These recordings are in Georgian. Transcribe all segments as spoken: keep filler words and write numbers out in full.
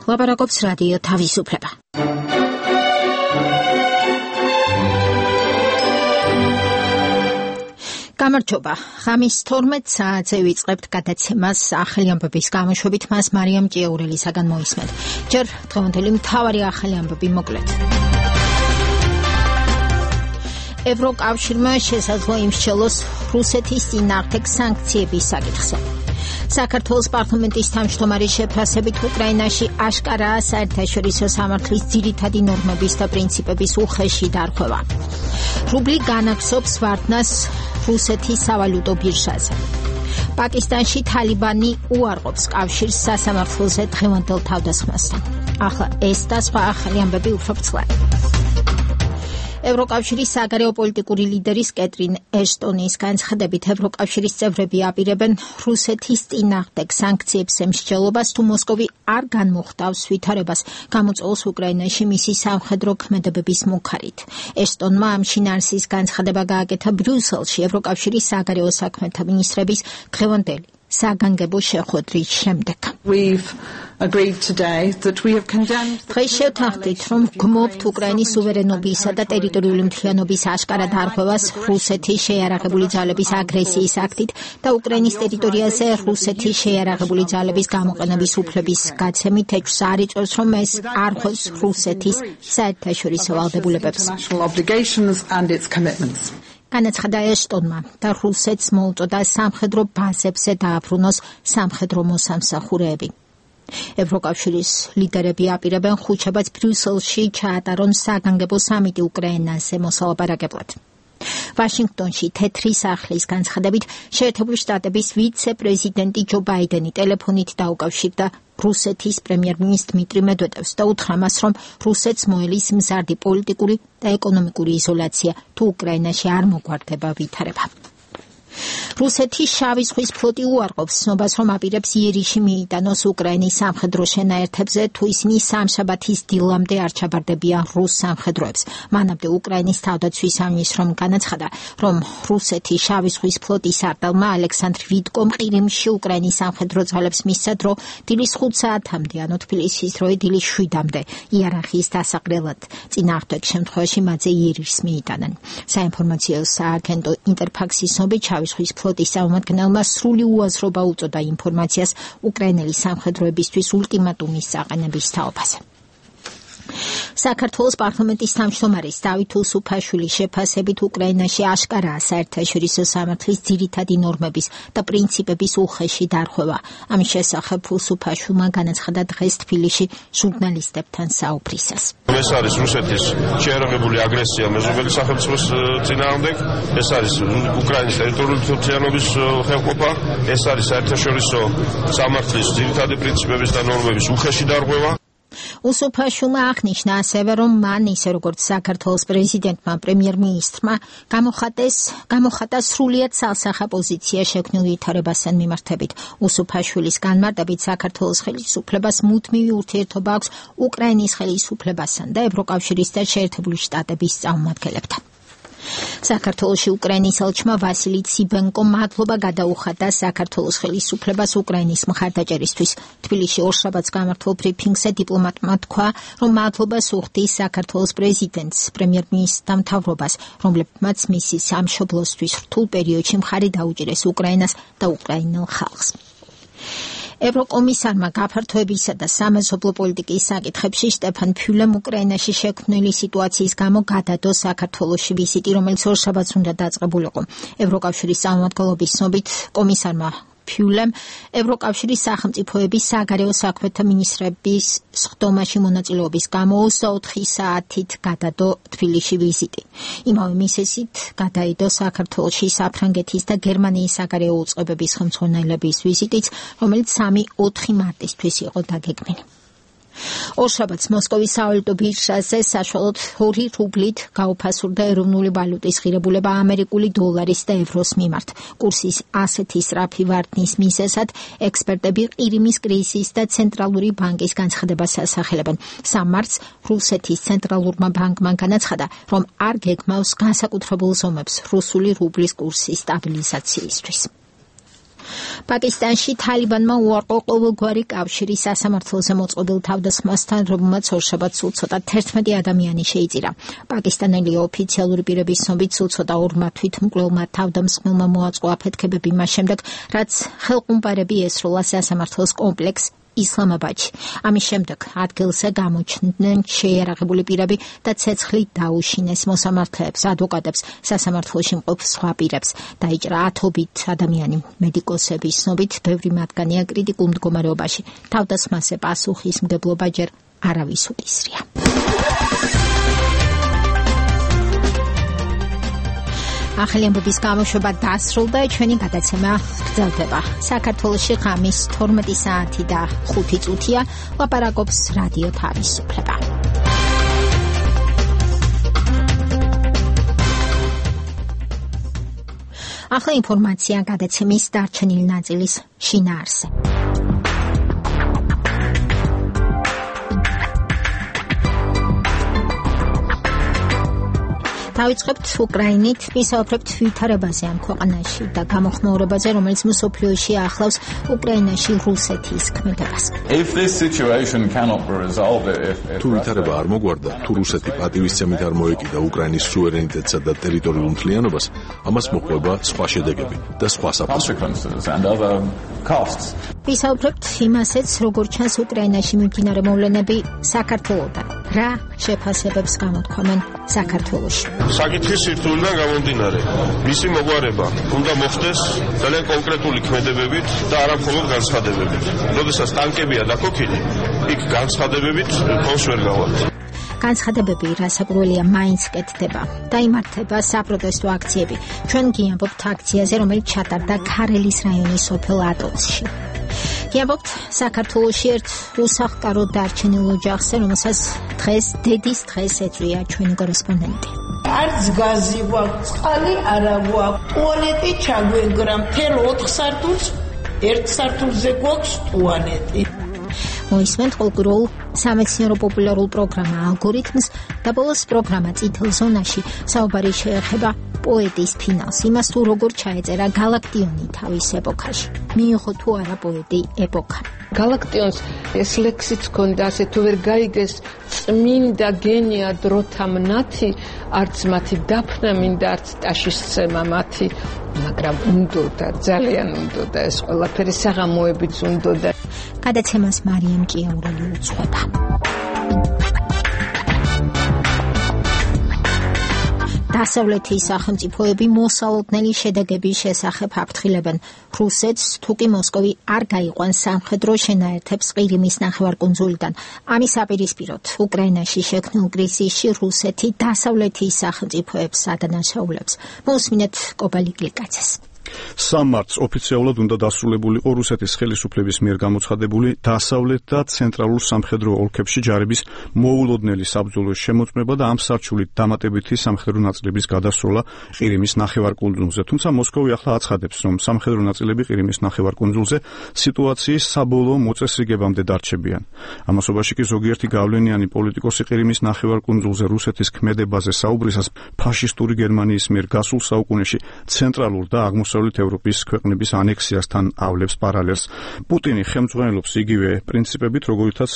ლაპარაკობს რადიო თავისუფლება. გამარჯობა. ღამის თორმეტ საათზე ვიწყებთ გადაცემას ახალი ამბების გამოშვებით. მას მარიამ ჭიაურელისაგან მოისმენთ. ჯერ დღევანდელი მთავარი ახალი ამბები მოკლედ. ევროკავშირმა შესაძლოა იმსჯელოს რუსეთის წინააღმდეგ სანქციების საკითხზე. საქართველოს პარლამენტის თავმჯდომარის შეფასებით უკრაინაში აშკარაა საერთაშორისო სამართლის ძირითადი ნორმების და პრინციპების უხეში დარღვევა. რუბლი განაგზობს ვარდნას რუსეთის სავალუტო ბირჟაზე. პაკისტანში თალიბანი უარყოფს კავშირს სასამართლოზე დღევანდელ თავდასხმასთან. ახლა ეს და სხვა ახალი ამბები უფრო ბრწყლად. ევროკავშირის საგარეო პოლიტიკური ლიდერის კეტრინ ეშტონის განცხადებით ევროკავშირის წევრები აპირებენ რუსეთის წინააღმდეგ სანქციებს ემსჯელობას, თუ მოსკოვი არ განმოხტავს ვითარებას გამოწვევს უკრაინაში მისი სამხედრო ქმედებების მუქარით. ეშტონმა ამ შინაარსის განცხადება გააკეთა ბრიუსელში ევროკავშირის საგარეო საქმეთა მინისტრების დღევანდელი საგანგებო შეხვედრის შემდეგ. დღეს შევთანხმდით, რომ გმობთ უკრაინის სუვერენობისა და ტერიტორიული მთლიანობის აშკარა დარღვევას რუსეთის შეიარაღებული ძალების აგრესიის აქტით და უკრაინის ტერიტორიაზე რუსეთის შეიარაღებული ძალების გამოყენების უფლების გაცემით ეჭვს არ იწვევს, რომ ეს არ ხვევს რუსეთის საერთაშორისო ვალდებულებებს. განაცხადა ეშტონმა და რუსეთს მოუწოდა სამხედრო ბაზებზე დააბრუნოს სამხედრო მოსამსახურეები. ევროკავშირის ლიდერები აპირებენ ხუთშაბათს ბრიუსელში ჩაატარონ საგანგებო სამიტი უკრაინაზე მოსალაპარაკებლად. ვაშინგტონში თეთრი სახლის განცხადებით შეერთებული შტატების ვიცე-პრეზიდენტი ჯო ბაიდენი ტელეფონით დაუკავშირდა რუსეთის პრემიერ-მინისტრ დმიტრი მედვედევს და უთხრა მას, რომ რუსეთს მოელის მზარდი პოლიტიკური და ეკონომიკური იზოლაცია, თუ უკრაინაში არ მოგვარდება ვითარება. რუსეთის შავი ზღვის ფლოტი უარყოფს ცნობას, რომ აპირებს იერიში მიიტანოს უკრაინის სამხედრო შენაერთებზე, თუ ისინი სამშაბათის დილამდე არ ჩაბარდებიან რუს სამხედროებს. მანამდე უკრაინის თავდაცვის სამინისტრომ განაცხადა, რომ რუსეთის შავი ზღვის ფლოტის არტელმა ალექსანდრ ვიტკომ ყირიმში უკრაინის სამხედრო ძალებს მისცა დრო დილის ხუთ საათამდე, ანუ თბილისის დროით დილის შვიდამდე იარაღის დასაყრელად. წინააღმდეგ შემთხვევაში მათზე იერიშს მიიტანენ. საინფორმაციო სააგენტო ინტერფაქსის ცნობით შავი ზღვის ფლოტის წარმომადგენელმა სრული უაზრობა უწოდა ინფორმაციას უკრაინელი სამხედროებისთვის ულტიმატუმის აყენების თაობაზე. საქართველოს პარლამენტის თავმჯდომარის დავით უსუფაშვილის შეფასებით უკრაინაში აშკარაა საერთაშორისო სამართლის ძირითადი ნორმების და პრინციპების უხეში დარღვევა. ამის შესახებ უსუფაშვილმა განაცხადა დღეს თბილისში ჟურნალისტებთან საუბრისას. ეს არის რუსეთის შეიარაღებული აგრესია მეზობელი სახელმწიფოს წინააღმდეგ, ეს არის უკრაინის ტერიტორიული მთლიანობის ხელყოფა, ეს არის საერთაშორისო სამართლის ძირითადი პრინციპების და ნორმების უხეში დარღვევა. უსუფაშვილმა აღნიშნა ასევე, რომ მან ისე როგორც საქართველოს პრეზიდენტმა, პრემიერ-მინისტრმა გამოხატეს, გამოხატა სრულიად სალსახა პოზიცია შექმნილ ვითარებასთან მიმართებით. უსუფაშვილის განმარტებით საქართველოს ხელისუფლებას მუდმივი ურთიერთობა აქვს უკრაინის ხელისუფლებასთან და ევროკავშირის და შეერთებული შტატების წარმომადგენლებთან. საქართველოში უკრაინის ელჩმა ვასილი ციბენკომ მადლობა გადაუხადა საქართველოს ხელისუფლებას უკრაინის მხარდაჭერისთვის. თბილისში ორშაბათს გამართულ ბრიფინგზე დიპლომატმა თქვა, რომ მადლობას უხდის საქართველოს პრეზიდენტს, პრემიერ-მინისტრს და მთავრობას, რომლებმაც მისი სამშობლოსთვის რთულ პერიოდში მხარი დაუჭირეს უკრაინას და უკრაინელ ხალხს. ევროკომისარმა გაფართოებისა და სამეზობლო პოლიტიკის საკითხებში სტეფან ფიულემ უკრაინაში შექმნილი სიტუაციის გამო გადადო საქართველოში ვიზიტი, რომელიც ორშაბათს უნდა დაწყებულიყო. ევროკავშირის წარმომადგენლობის ცნობით კომისარმა ფიულემ ევროკავშირის სახელმწიფოების საგარეო საქმეთა მინისტრების სხდომაში მონაწილეობის გამო ოცდაოთხი საათით გადადო თბილისში ვიზიტი. იმავე მიზეზით გადაიდო საქართველოში საფრანგეთის და გერმანიის საგარეო უწყებების ხელმძღვანელების ვიზიტიც, რომელიც სამი ოთხი მარტისთვის იყო დაგეგმილი. ორშაბათს მოსკოვის სავალუტო ბირჟაზე საშუალოდ ორი რუბლით გაუფასურდა ეროვნული ვალუტის ღირებულება ამერიკული დოლარის და ევროს მიმართ. კურსის ასეთი სწრაფი ვარდნის მიზეზად ექსპერტები ყირიმის კრიზისის და ცენტრალური ბანკის განცხადებას ასახელებენ. სამი მარტს რუსეთის ცენტრალურმა ბანკმა განაცხადა, რომ არ გეგმავს განსაკუთრებულ ზომებს რუსული რუბლის კურსის სტაბილიზაციისთვის. პაკისტანში თალიბანმა უარყო ყოველგვარი კავშირი სასამართლოზე მოწყობილ თავდასხმასთან, რომელმაც ორშაბათს სულ ცოტა თერთმეტი ადამიანი შეიწირა. პაკისტანელი ოფიციალური პირების ცნობით სულ ცოტა ორმა თვითმკვლელმა თავდამსხმელმა მოაწყო აფეთქებები მას შემდეგ, რაც ხელყუმპარები ესროლა სასამართლოს კომპლექს ისლამაბადში. ამის შემდეგ ადგილზე გამოჩნდნენ შეიარაღებული პირები და ცეცხლით დაუშინეს მოსამართლეებს, ადვოკატებს, სასამართლოში მყოფ სხვა პირებს. დაიჭრა ათობით ადამიანი. მედიკოსების ცნობით, ბევრი მათგანია კრიტიკულ მდგომარეობაში. თავდასხმაზე პასუხისმგებლობა ჯერ არავის უდისრია. ახალი ამბების გამოშვება დასრულდა, ჩვენი გადაცემა გრძელდება. საქართველოში ღამის თორმეტი საათი და ხუთი წუთია, ლაპარაკობს რადიო თავისუფლება. ახლა ინფორმაცია გადაცემის დარჩენილი ნაწილის შინაარსზე. დავიწყებთ უკრაინით, ვისაუბრებთ ვითარებაზე ამ ქვეყანაში და გამოხმაურებაზე, რომელიც მსოფლიოში ახლავს უკრაინაში რუსეთის ქმედებას. თუ ვითარება არ მოგვარდა, თუ რუსეთი პატივისცემით არ მოეკიდა უკრაინის სუვერენიტეტსა და ტერიტორიულ მთლიანობას, ამას მოჰყვება სხვა შედეგები და სხვა საფასო. ვისაუბრებთ იმასაც, როგორ ჩანს უკრაინაში მიმდინარე მოვლენები საქართველოდან. რა შეფასებებს გამოთქვამენ საქართველოში? საკითხის სირთულიდან გამომდინარე, მისი მოგვარება უნდა მოხდეს ძალიან კონკრეტული ქმედებებით და არა მხოლოდ განცხადებებით. როდესაც ტანკებია დაქოქილი, იქ განცხადებებით ხოს ვერ გავალთ. განცხადებები რასაკვირველია მაინც კეთდება. დაიმართება საპროტესტო აქციები. ჩვენ გიამბობთ აქციაზე, რომელიც ჩატარდა ქარელის რაიონის სოფელ ატონსში. გიამბობთ საქართველოში ერთ უსახლკარო დარჩენილ ოჯახზე, რომელსაც დღეს დედის დღეს ეწვია ჩვენი კორესპონდენტი. არც გაზი გვაქვს, წყალი არა გვაქვს, ტუალეტი ჩაგვენგრა, მთელ ოთხ სართულს, ერთ სართულზე გვაქვს ტუალეტი. მოისმენთ ყოველდღიურ სამეცნიერო პოპულარულ პროგრამა ალგორითმს და ბოლოს პროგრამა წითელ ზონაში საუბარი შეეხება პოეტის ფინალს, იმას თუ როგორ ჩაეწერა გალაქტიონი თავის ეპოქაში. მიიღო თუ არა პოეტი ეპოქა. გალაქტიონს ეს ლექსიც ჰქონდა, ასე თუ ვერ გაიგეს წმინდა გენია დროთა მნათი, არც მათი დაფნა მინდა, არც ტაშისცემა მათი, მაგრამ უნდოდა, ძალიან უნდოდა ეს ყველაფერი, საღამოებიც უნდოდა. გადაცემას მარიამ ჭიაურელი უძღვება. დასავლეთის სახელმწიფოები მოსალოდნელი შედეგების შესახებ აფრთხილებენ რუსეთს, თუკი მოსკოვი არ გაიყვანს სამხედრო შენაერთებს ყირიმის ნახევარკუნძულიდან. ამის აპირისპიროდ უკრაინაში შექმნილ კრიზისში რუსეთი დასავლეთის სახელმწიფოებს ადანაშაულებს. მოусმინეთ კობალი გლიკაძეს. სამ მარტს ოფიციალურად უნდა დასრულებულიყო რუსეთის ხელისუფლების მიერ გამოცხადებული დასავლეთ და ცენტრალურ სამხედრო ოლქებში ჯარების მოულოდნელი საბრძოლო შემოწმება და ამ სარჩულით დამატებითი სამხედრო ნაწილების გადასროლა ყირიმის ნახევარკუნძულზე. თუმცა მოსკოვი ახლა აცხადებს, რომ სამხედრო ნაწილები ყირიმის ნახევარკუნძულზე სიტუაციის საბოლოო მოწესრიგებამდე დარჩებიან. ამასობაში კი ზოგიერთი გავლენიანი პოლიტიკოსი ყირიმის ნახევარკუნძულზე რუსეთის ქმედებაზე საუბრისას ფაშისტური გერმანიის მიერ გასულ საუკუნეში ცენტრალურ და აღმოსავლეთ ევროპის ქვეყნების ანექსიასთან ავლებს პარალელს. პუტინი ხელმძღვანელობს იგივე პრინციპებით, როგორითაც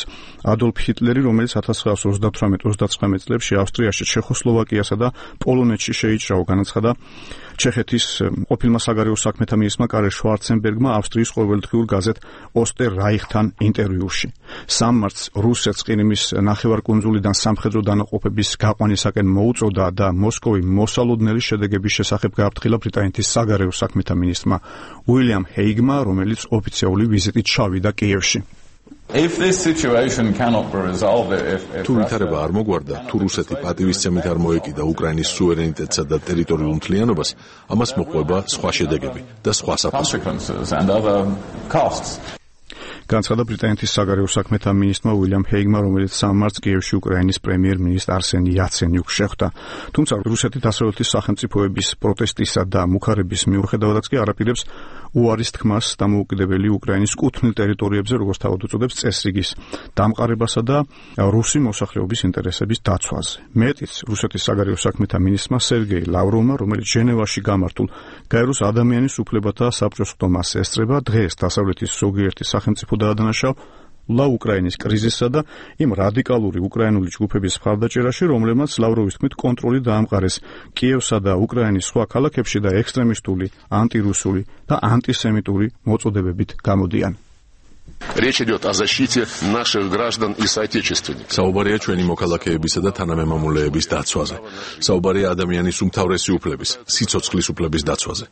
ადოლფ ჰიტლერი, რომელიც ათას ცხრაასი ოცდათვრამეტ ოცდაცხრამეტ წლებში ავსტრიაში, ჩეხოსლოვაკიასა და პოლონეთში შეიჭრაო, განაცხადა ჩეხეთის ყოფილმა საგარეო საქმეთა მინისტრმა კარელ შვარცენბერგმა ავსტრიის ყოველდღიურ გაზეთ ოსტერ რაიხთან ინტერვიუში. სამ მარტს რუსეთს ყირიმის ნახევარკუნძულიდან სამხედრო დანაყოფების გაყვანისაკენ მოუწოდა და მოსკოვი მოსალოდნელი შედეგების შესახებ გააფრთხილა ბრიტანეთის საგარეო საქმეთა მინისტრმა უილიამ ჰეიგმა, რომელიც ოფიციალური ვიზიტით ჩავიდა კიევში. თუ ვითარება არ მოგვარდა, თუ რუსეთი პატივისცემით არ მოეკიდა უკრაინის სუვერენიტეტსა და ტერიტორიულ მთლიანობას, ამას მოჰყვება სხვა შედეგები და სხვა საფასო. განცხადა ბრიტანეთის საგარეო საქმეთა მინისტრმა უილიამ ჰეიგმა, რომელიც სამ მარტს კიევში უკრაინის პრემიერ-მინისტრ არსენი იაცენიუკს შეხვდა. თუმცა რუსეთი დასავლეთის სახელმწიფოების პროტესტისა და მუხარების მიუხედავადაც კი არაპირებს უარის თქმას დამოუკიდებელი უკრაინის კუთვნილ ტერიტორიებზე, როგორც თავად უწოდებს, წესრიგის დამყარებასა და რუსი მოსახლეობის ინტერესების დაცვაზე. მეტიც, რუსეთის საგარეო საქმეთა მინისტრმა სერგეი ლავროვმა, რომელიც ჟენევაში გამართულ გაეროს ადამიანის უფლებათა საბჭოს ხდომას ესწრება, დღეს დასავლეთის ზოგიერთი სახელმწიფო დაადანაშაულა უკრაინის კრიზისსა და იმ რადიკალური უკრაინული ჯგუფების მხარდაჭერაში, რომლებმაც ლავროვის თქმით კონტროლი დაამყარეს კიევსა და უკრაინის სხვა ქალაქებში და ექსტრემისტული, ანტირუსული და ანტისემიტური მოწოდებებით გამოდიან. Речь идет о защите наших граждан и соотечественников. საუბარია ჩვენი მოქალაქეებისა და თანამემამულეების დაცვაზე. საუბარია ადამიანის უმთავრესი უფლების, სიცოცხლის უფლების დაცვაზე.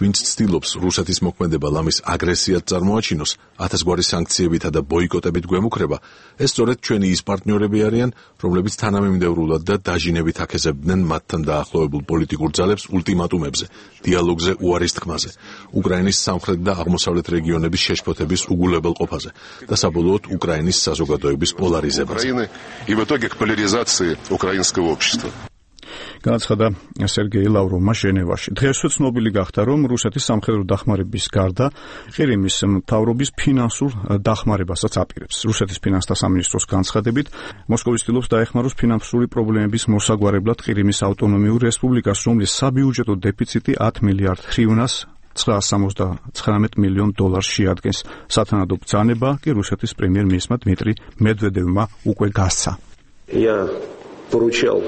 ვინც ცდილობს რუსეთის მოქმედება ლამის აგრესიად წარმოაჩინოს, ათასგვარი სანქციებითა და ბოიკოტებით გვემუქრება, ეს სწორედ ჩვენი ის პარტნიორები არიან, რომლებიც თანამიმდევრულად და დაჟინებით აქეზებდნენ მათთან დაახლოებულ პოლიტიკურ ძალებს ულტიმატუმებზე, დიალოგზე უარის თქმაზე, უკრაინის სამხრეთ და აღმოსავლეთ რეგიონების შეშფოთების უგულებელ ყოფაზე და საბოლოოდ უკრაინის საზოგადოების პოლარიზებაზე. И в итоге к поляризации украинского общества. განაცხადა სერგეი ლავროვმა ჟენევაში. დღესვე ცნობილი გახდა, რომ რუსეთის სამხედრო დახმარების გარდა ყირიმის მთავრობის ფინანსურ დახმარებასაც აპირებს. რუსეთის ფინანსთა სამინისტროს განცხადებით, მოსკოვი ცდილობს დაეხმაროს ფინანსური პრობლემების მოსაგვარებლად ყირიმის ავტონომიურ რესპუბლიკას, რომლის საბიუჯეტო დეფიციტი ათ მილიარდ ჰრივნას ცხრაას სამოცდათხრამეტ მილიონ დოლარს შეადგენს. სათანადო ბრძანება კი რუსეთის პრემიერ-მინისტრმა დმიტრი მედვედევმა უკვე გასცა. Я поручал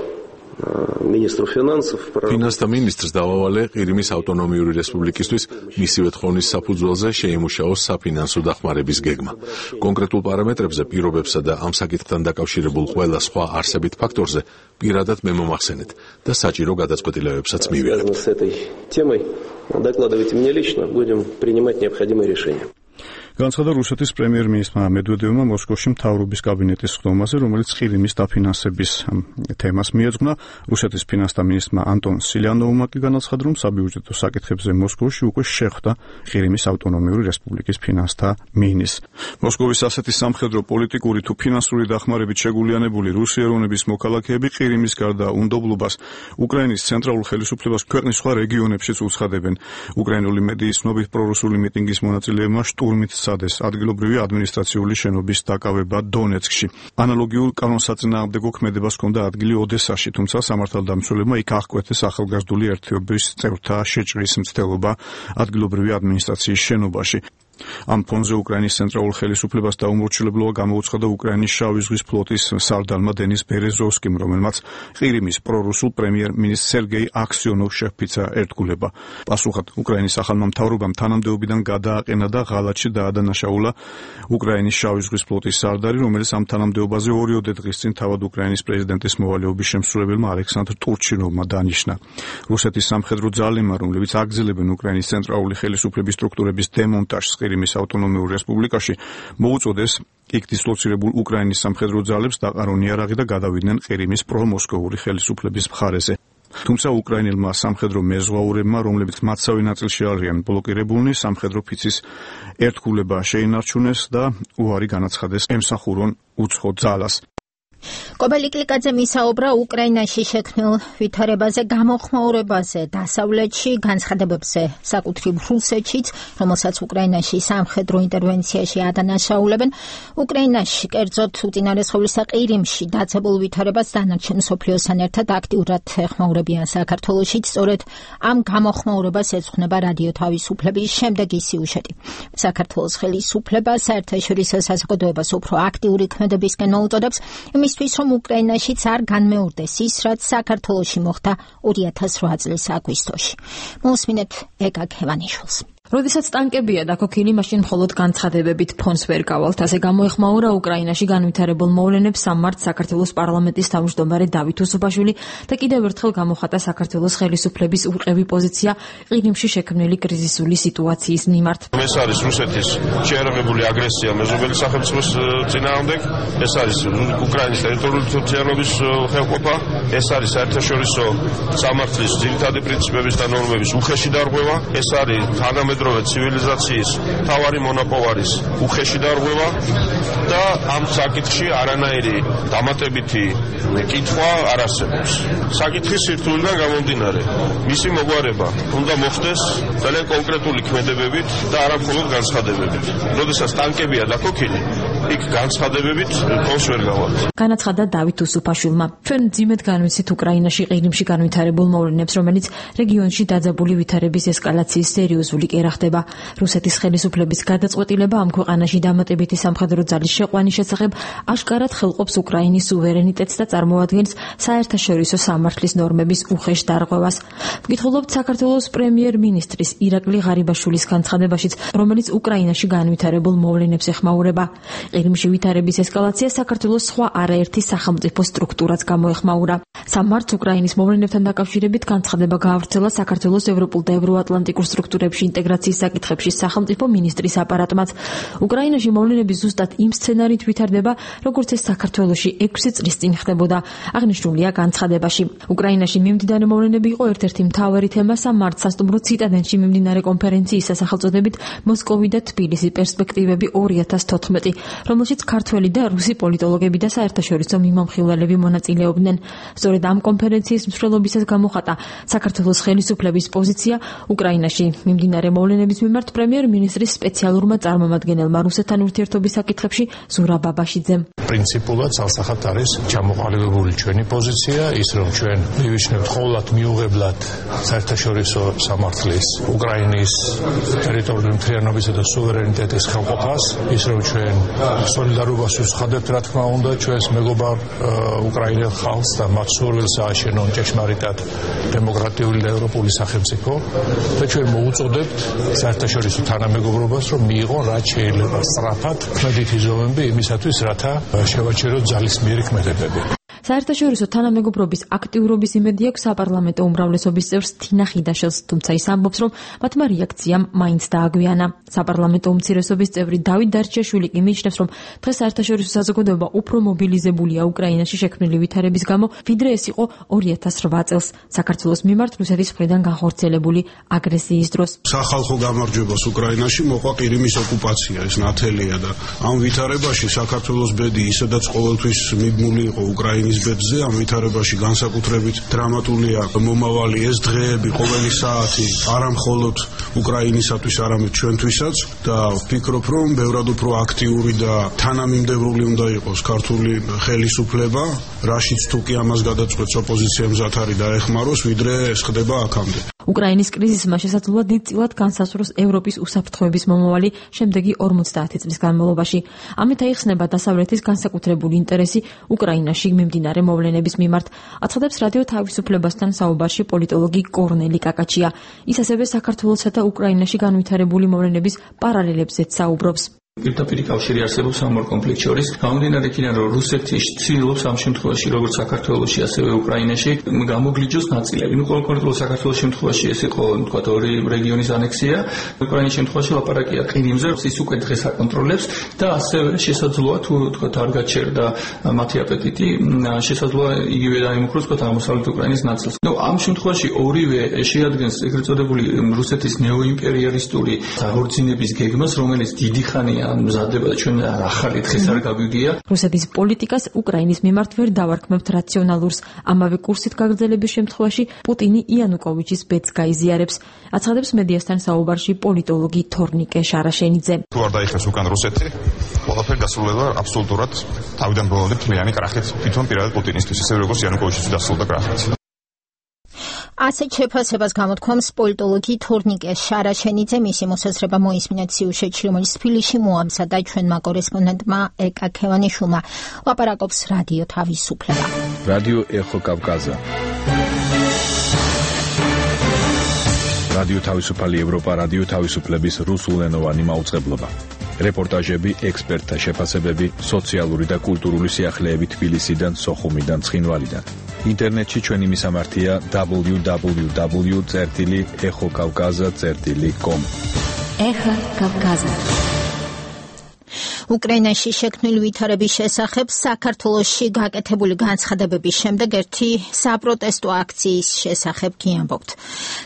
министру финансов ფინანსთა მინისტრს დავავალე ყირიმის ავტონომიური რესპუბლიკისთვის მისივე თხოვნის საფუძველზე შეიმუშაოს საფინანსო დახმარების გეგმა. კონკრეტულ პარამეტრებზე, პირობებსა და ამ საკითხთან დაკავშირებულ ყველა სხვა არსებით ფაქტორზე პირადად მე მომახსენეთ და საჭირო გადაწყვეტილებებსაც მივიღებთ. с этой темой докладывайте мне лично, будем принимать необходимые решения. განაცხადა რუსეთის პრემიერ-მინისტრმა მედვედევმა მოსკოვში მთავრობის კაბინეტის ხდომაზე, რომელიც ყირიმის დაფინანსების თემას მიეძღვნა. რუსეთის ფინანსთა მინისტრმა ანტონ სილიანოვმა კი განაცხადა, რომ საბიუჯეტო საკითხებზე მოსკოვში უკვე შეხვდა ყირიმის ავტონომიური რესპუბლიკის ფინანსთა მინისტრს. მოსკოვის ასეთი სამხედრო, პოლიტიკური თუ ფინანსური დახმარებით შეგულიანებული რუსი ეროვნების მოქალაქეები ყირიმის გარდა უნდობლობას უკრაინის ცენტრალურ ხელისუფლებას ქვეყნის სხვა რეგიონებშიც უცხადებენ. უკრაინული მედიის ცნობით, პრორუსული მიტინგის მონაწილეებმა შტურმით სადეს ადგილობრივი ადმინისტრაციული შენობის დაკავება დონეცკში. ანალოგიურ კანონსაწინააღმდეგო ქმედებას ჰქონდა ადგილი ოდესაში, თუმცა სამართალდამცველებმა იქ აღკვეთეს ახალგაზრდული ერთეობის წევრთა შეჭრის მცდელობა ადგილობრივი ადმინისტრაციის შენობაში. ამ ფონზე უკრაინის ცენტრალურ ხელისუფლებას დაუმორჩილებელობა გამოუცხადა უკრაინის შავი ზღვის ფლოტის სარდალმა დენის ბერეზოვსკიმ, რომელმაც ყირიმის პრორუსულ პრემიერ-მინისტრ სერგეი აქსიონოვს შეჰფიცა ერთგულება. პასუხად უკრაინის ახალმა მთავრობამ თანამდებობიდან გადააყენა და ღალატში დაადანაშაულა უკრაინის შავი ზღვის ფლოტის სარდალი, რომელიც ამ თანამდებობაზე ორიოდე დღის წინ თავად უკრაინის პრეზიდენტის მოვალეობის შემსრულებელმა ალექსანდრ ტურჩინოვმა დანიშნა. რუსეთის სამხედრო ძალებმა, რომლებიც აგრძელებენ უკრაინის ცენტრალური ხელისუფლების სტრუქტურების დემონტაჟს ყირიმის ავტონომიურ რესპუბლიკაში, მოუწოდეს იქ დისლოცირებულ უკრაინის სამხედრო ძალებს დაყარონ იარაღი და გადავიდნენ ყირიმის პრომოსკოვური ხელისუფლების მხარეზე. თუმცა უკრაინელმა სამხედრო მეზღვაურებმა, რომლებიც მათსავე ნაწილში არიან ბლოკირებულნი, სამხედრო ფიცის ერთგულება შეინარჩუნეს და უარი განაცხადეს ემსახურონ უცხო ძალას. კობელი კლიკაძე მისაუბრა უკრაინაში შექმნილ ვითარებაზე, გამოხმაურებაზე, დასავლეთში, განცხადებებზე, საკუთრივ რუსეთშიც, რომელსაც უკრაინაში სამხედრო ინტერვენციაში ადანაშაულებენ. უკრაინაში, კერძოდ უწინარესხოვლისა ყირიმში დაცებულ ვითარებას დანარჩენ მსოფლიოსთან ერთად აქტიურად ეხმაურებიან საქართველოშიც. სწორედ ამ გამოხმაურებას ეძღვნება რადიო თავისუფლების შემდეგი სიუჟეტი. საქართველოს ხელისუფლება საერთაშორისო საზოგადოებას უფრო აქტიური ქმედებისკენ მოუწოდებს, იმისთვის, რომ უკრაინაშიც არ განმეორდეს ის, რაც საქართველოში მოხდა ორი ათას რვა წლის აგვისტოში. მოусმინეთ ეკა ქევანიშვილს. როდესაც ტანკებია დაქოქილი, მაშინ მხოლოდ განცხადებებით ფონს ვერ გავალთ. ასე გამოეხმაურა უკრაინაში განვითარებულ მოვლენებს სამ მარტს საქართველოს პარლამენტის თავმჯდომარე დავით უსუბაშვილი და კიდევ ერთხელ გამოხატა საქართველოს ხელისუფლების ურყევი პოზიცია ყირიმში შექმნილი კრიზისული სიტუაციის მიმართ. ეს არის რუსეთის შეერაღებული აგრესია მეზობელი სახელმწიფოს წინააღმდეგ, ეს არის უკრაინის ტერიტორიული თვითმფრინავების ხელყოფა, ეს არის საერთაშორისო სამართლის ძირითადი პრინციპების და ნორმების უხეში დარღვევა, ეს არის თანამედროვე თანამედროვე ცივილიზაციის მთავარი მონაპოვარის უხეში დარღვევა და ამ საკითხში არანაირი დამატებითი კითხვა არ არსებობს. საკითხის სირთულიდან გამომდინარე, მისი მოგვარება უნდა მოხდეს ძალიან კონკრეტული ქმედებებით და არა მხოლოდ განცხადებებით. როდესაც ტანკებია დაქოქილი, იქ განცხადებებით ფონს ვერ გავალთ. განაცხადა დავით უსუფაშვილმა. ჩვენ ძიმედ განვიცით უკრაინაში ყირიმში განვითარებულ მოვლენებს, რომელიც რეგიონში დაძაბული ვითარების ესკალაციის სერიოზული კერა ხდება. რუსეთის ხელისუფლების გადაწყვეტილება ამ ქვეყანაში დამატებითი სამხედრო ძალის შეყვანის შესახებ აშკარად ხელყოფს უკრაინის სუვერენიტეტს და წარმოადგენს საერთაშორისო სამართლის ნორმების უხეშ დარღვევას. ვკითხულობთ საქართველოს პრემიერ-მინისტრის ირაკლი ღარიბაშვილის განცხადებაშიც, რომელიც უკრაინაში განვითარებულ მოვლენებს ეხმაურება. ყირიმში ვითარების ესკალაცია საქართველოს სხვა არაერთი სახელმწიფო სტრუქტურაც გამოეხმაურა. სამმარტს უკრაინის მოვლენებთან დაკავშირებით განცხადება გაავრცელა საქართველოს ევროპულ და ევროატლანტიკურ სტრუქტურებში ინტეგრაციის საკითხებში სახელმწიფო მინისტრის აპარატმაც. უკრაინაში მოვლენები ზუსტად იმ სცენარით ვითარდება, როგორც ეს საქართველოში ექვსი წლის წინ ხდებოდა. აღნიშნულია განცხადებაში. უკრაინაში მიმდინარე მოვლენები იყო ერთ-ერთი მთავარი თემა სამმარტს სასტუმრო ციტადენში მიმდინარე კონფერენციის სახელწოდებით მოსკოვი და თბილისი პერსპექტივები ორი ათას თოთხმეტი, რომელშიც ქართველი და რუსი პოლიტოლოგები და საერთაშორისო მიმამხილველები მონაწილეობდნენ. სწორედ ამ კონფერენციის მსვლელობისას გამოხატა საქართველოს ხელისუფლების პოზიცია უკრაინაში მიმდინარე მოვლენების მიმართ პრემიერ-მინისტრის სპეციალურმა წარმომადგენელმა რუსეთთან ურთიერთობის საკითხებში ზურაბ ბაბაშიძემ. პრინციპულად ცალსახად არის ჩამოყალიბებული ჩვენი პოზიცია, ის რომ ჩვენ მივიჩნევთ ყოვლად მიუღებლად საერთაშორისო სამართლის უკრაინის ტერიტორიული მთლიანობისა და სუვერენიტეტის ხელყოფას, ის რომ ჩვენ სოლიდარობას ვუცხადებთ, რა თქმა უნდა, ჩვენს მეგობარ უკრაინელ ხალხს და მათ სურვილს ააშენონ ჭეშმარიტად დემოკრატიული და ევროპული სახელმწიფო და ჩვენ მოუწოდებთ საერთაშორისო თანამეგობრობას, რომ მიიღონ რაც შეიძლება სწრაფად ქმედითი ზომები იმისათვის, რათა შევაჩეროთ ძალისმიერი ქმედებები. საერთაშორისო თანამეგობრობის აქტიურობის იმედი აქვს საპარლამენტო უმრავლესობის წევრს თინა ხიდაშელს, თუმცა ის ამბობს, რომ მათმა რეაქციამ მაინც დააგვიანა. საპარლამენტო უმცირესობის წევრი დავით დარჩიაშვილი კი მიიჩნევს, რომ დღეს საერთაშორისო საზოგადოება უფრო მობილიზებულია უკრაინაში შექმნილი ვითარების გამო, ვიდრე ეს იყო ორი ათას რვა წელს საქართველოს მიმართ რუსეთის მხრიდან განხორციელებული აგრესიის დროს. სახალხო გამარჯვებას უკრაინაში მოყვა ყირიმის ოკუპაცია, ეს ნათელია და ამ ვითარებაში საქართველოს ბედი ისედაც ყოველთვის მიბმული იყო უკრაინის ბედზე. ამ ვითარებაში განსაკუთრებით დრამატულია მომავალი ეს დღეები, ყოველი საათი არა მხოლოდ უკრაინისათვის, არამედ ჩვენთვისაც და ვფიქრობ, რომ ბევრად უფრო აქტიური და თანამიმდევრული უნდა იყოს ქართული ხელისუფლება, რაშიც თუ კი ამას გადაწყვეტს ოპოზიცია მზად არის დაეხმაროს, ვიდრე ეს ხდება აქამდე. უკრაინის კრიზისმა შესაძლოა დიდწილად განსაზღვროს ევროპის უსაფრთხოების მომავალი შემდეგი ორმოცდაათი წლის განმავლობაში. ამით აიხსნება დასავლეთის განსაკუთრებული ინტერესი უკრაინაში მიმდინარე მოვლენების მიმართ. აცხადებს რადიო თავისუფლებასთან საუბარში პოლიტოლოგი კორნელი კაკაჩია. ის ასევე საქართველოსა და უკრაინაში განვითარებული მოვლენების პარალელებზეც საუბრობს. პირდაპირ კავშირი არსებობს ამ ორ კონფლიქტ შორის. გამომდინარე იქიდან, რომ რუსეთი ცდილობს ამ შემთხვევაში, როგორც საქართველოში, ასევე უკრაინაში, გამოგლიჯოს ნაწილები. ნუ კონკრეტულად საქართველოს შემთხვევაში ეს იყო, თქვა, ორი რეგიონის ანექსია. უკრაინის შემთხვევაში ლაპარაკია ყირიმზე, ის უკვე დღეს აკონტროლებს და ასევე შესაძლოა თუ თქვა არ გაჩერდა მათი აპეტიტი, შესაძლოა იგივე დაემუქროს, თქვა, აღმოსავლეთ უკრაინის ნაწილს. ნუ ამ შემთხვევაში ორივე შეადგენს ეგრეთ წოდებული რუსეთის ნეოიმპერიალისტური აღორძინების გეგმას, რომელიც დიდი ხანია მზადება და ჩვენ ახალი დღეს არ გავიგია. რუსეთის პოლიტიკას უკრაინის მიმართ ვერ დავარქმევთ რაციონალურს. ამავე კურსით გაგრძელების შემთხვევაში პუტინი იანუკოვიჩის ბედს გაიზიარებს. აცხადებს მედიასთან საუბარში პოლიტოლოგი თორნიკე შარაშენიძე. თუ არ დაიხსნას უკან რუსეთი, ყველაფერი დასრულება აბსოლუტურად თავიდან ბოლომდე მთლიანი კრახით, თვითონ პირადად პუტინისთვის, ისე როგორც იანუკოვიჩისთვის დასრულდა კრახით. ასეთ შეფასებას გამოთქვამს პოლიტოლოგი თორნიკე შარაშენიძე. მისი მოსაზრება მოისმინეთ სიუჟეტში, რომელიც თბილისში მოამზადა ჩვენმა კორესპონდენტმა ეკა ქევანიშვილმა. ლაპარაკობს რადიო თავისუფლება. რადიო ეხო კავკაზა. რადიო თავისუფალი ევროპა, რადიო თავისუფლების რუსულენოვანი მაუწყებლობა. რეპორტაჟები, ექსპერტთა შეფასებები, სოციალური და კულტურული სიახლეები თბილისიდან, სოხუმიდან, ცხინვალიდან. ინტერნეტში ჩვენი მისამართია დაბლიუ დაბლიუ დაბლიუ წერტილი ეხო კავკაზა წერტილი კომ. ეხა კავკაზა. უკრაინაში შექმნილი ვითარების შესახებ საქართველოში გაკეთებული განცხადებების შემდეგ ერთი საპროტესტო აქციის შესახებ გიამბობთ.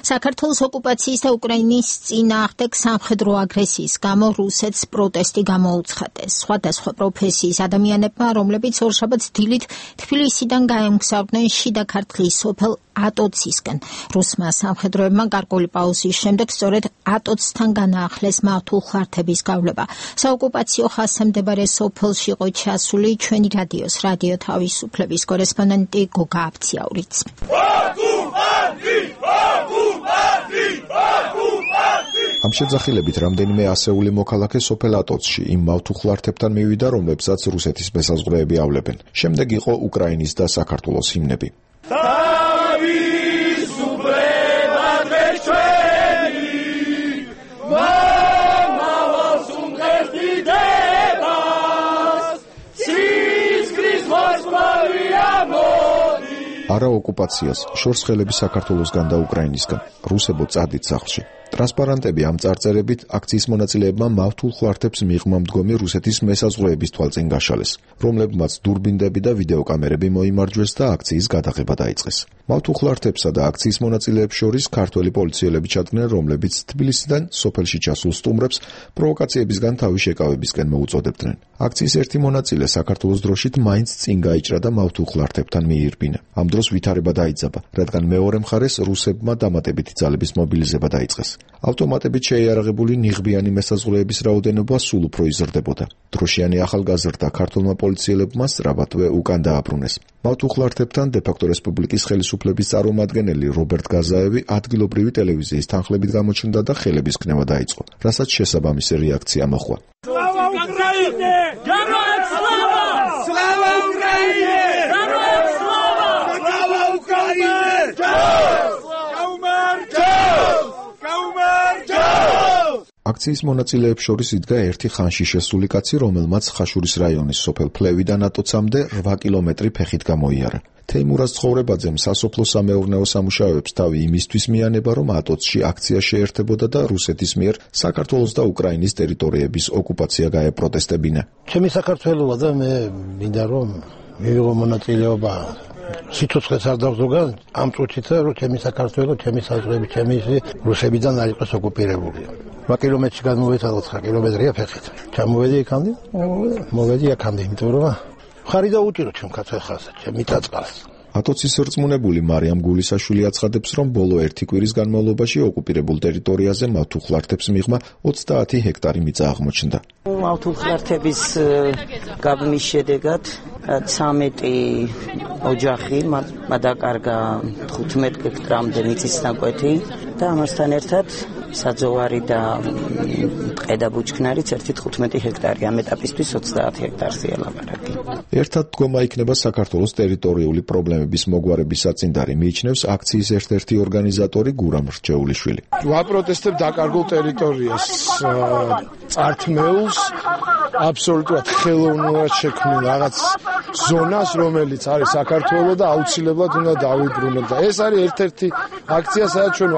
საქართველოს ოკუპაციის და უკრაინის წინააღმდეგ სამხედრო აგრესიის გამო რუსეთს პროტესტი გამოუცხადეს. სხვადასხვა პროფესიის ადამიანებმა, რომლებიც ორშაბათს დილით თბილისიდან გაემგზავრდნენ შიდა ქართლის სოფელ ატოცისკენ. რუსმა სამხედროებმა გარკვეული პაუზის შემდეგ სწორედ ატოცთან განაახლეს მავთულხლართების გავლება. საოკუპაციო ხაზზე მდებარე სოფელში იყო ჩასული ჩვენი რადიოს რადიო თავისუფლების კორესპონდენტი გოგა აბციაურიც. ამ შეძახილებით რამდენიმე ასეული მოქალაქე სოფელ ატოცში იმ მავთულხლართებთან მივიდა, რომლებსაც რუსეთის მესაზღვრეები ავლებენ. შემდეგ იყო უკრაინის და საქართველოს ჰიმნები. არა ოკუპაციას, შორს ხელები საქართველოსგან და უკრაინისგან. რუსებო წადით სახლში. ტრანსპარანტები ამ წარწერებით აქციის მონაწილეებმა მავთულხლართებს მიღმა მდგომი რუსეთის მესაზღვრეების თვალწინ გაშალეს, რომლებმაც დურბინდები და ვიდეოკამერები მოიმარჯვეს და აქციის გადაღება დაიწყეს. მავთულხლართებსა და აქციის მონაწილეებს შორის ქართველი პოლიციელები ჩადგნენ, რომლებიც თბილისიდან სოფელში ჩასულ სტუმრებს პროვოკაციებისგან თავი შეკავებისკენ მოუწოდებდნენ. აქციის ერთი მონაწილე საქართველოს დროშით მაინც წინ გაიჭრა და მავთულხლართებთან მიირბინა. ამ დროს ვითარება დაიძაბა, რადგან მეორე მხარეს რუსებმა დამატებითი ძალების მობილიზება დაიწყეს. ავტომატებით შეიარაღებული ნიღბიანი მესაზღვრეების რაოდენობა სულ უფრო იზრდებოდა. დროშიანი ახალგაზრდა ქართულმა პოლიციელებმა სწრაფადვე უკან დააბრუნეს. მავთულხლართებთან დე-ფაქტო რესპუბლიკის ხელისუფლების წარმომადგენელი რობერტ გაზაევი ადგილობრივი ტელევიზიის თანხლებით გამოჩნდა და ხელების ქნება დაიწყო, რასაც შესაბამისი რეაქცია მოჰყვა. Slava Ukraine! Героям слава! Slava Ukraine! Героям слава! Slava Ukraine! აქციის მონაწილეებს შორის იდგა ერთი ხანში შესული კაცი, რომელმაც ხაშურის რაიონის სოფელ ფლევიდან ატოცამდე რვა კილომეტრი ფეხით გამოიარა. თეიმურაზ ცხოვრებაძემ სასოფლო-სამეურნეო სამუშაოებს თავი იმისთვის მიანება, რომ ატოცში აქცია შეერთებოდა და რუსეთის მიერ საქართველოს და უკრაინის ტერიტორიების ოკუპაცია გაეპროტესტებინა. ჩემი საქართველოა და მე მინდა რომ მივიღო მონაწილეობა სიცოცხლეს არ დავზოგან ამ წუთით, რომ ჩემი საქართველო, ჩემი საზღვრები, ჩემი რუსებიდან არ იყოს ოკუპირებული. რვა კილომეტრში გამოვეცადო ცხრა კილომეტრია ფეხით. ჩამოვედი იქამდე, მოვედი აქამდე, იმიტომ რომ ხარი დაუჭირო ჩემ კაცხალს, ჩემი წაწყალს. ატოცის რწმუნებული მარიამ გულისაშვილი აცხადებს, რომ ბოლო ერთი კვირის განმავლობაში ოკუპირებულ ტერიტორიაზე მავთულხლართებს მიღმა ოცდაათი ჰექტარი მიწა აღმოჩნდა. მავთულხლართების გაბმის შედეგად ცამეტი ოჯახი მადაკარგა თხუთმეტ ჰექტრამდე მიწის ნაკვეთი და ამასთან ერთად საძოვარი და ტყე და ბუჩქნარიც ერთი თხუთმეტი ჰექტარი, ამ ეტაპისთვის ოცდაათი ჰექტარზეა ლაპარაკი. ერთად დგომა იქნება საქართველოს ტერიტორიული პრობლემების მოგვარების საწინდარი, მიიჩნევს აქციის ერთ-ერთი ორგანიზატორი გურამ რჩეულიშვილი. ვაპროტესტებ დაკარგულ ტერიტორიას, წართმეულს, აბსოლუტურად ხელოვნურად შექმნილ რაღაც ზონას, რომელიც არის საქართველოს და აუცილებლად უნდა დავიბრუნოთ და ეს არის ერთ-ერთი აქცია, სადაც ჩვენ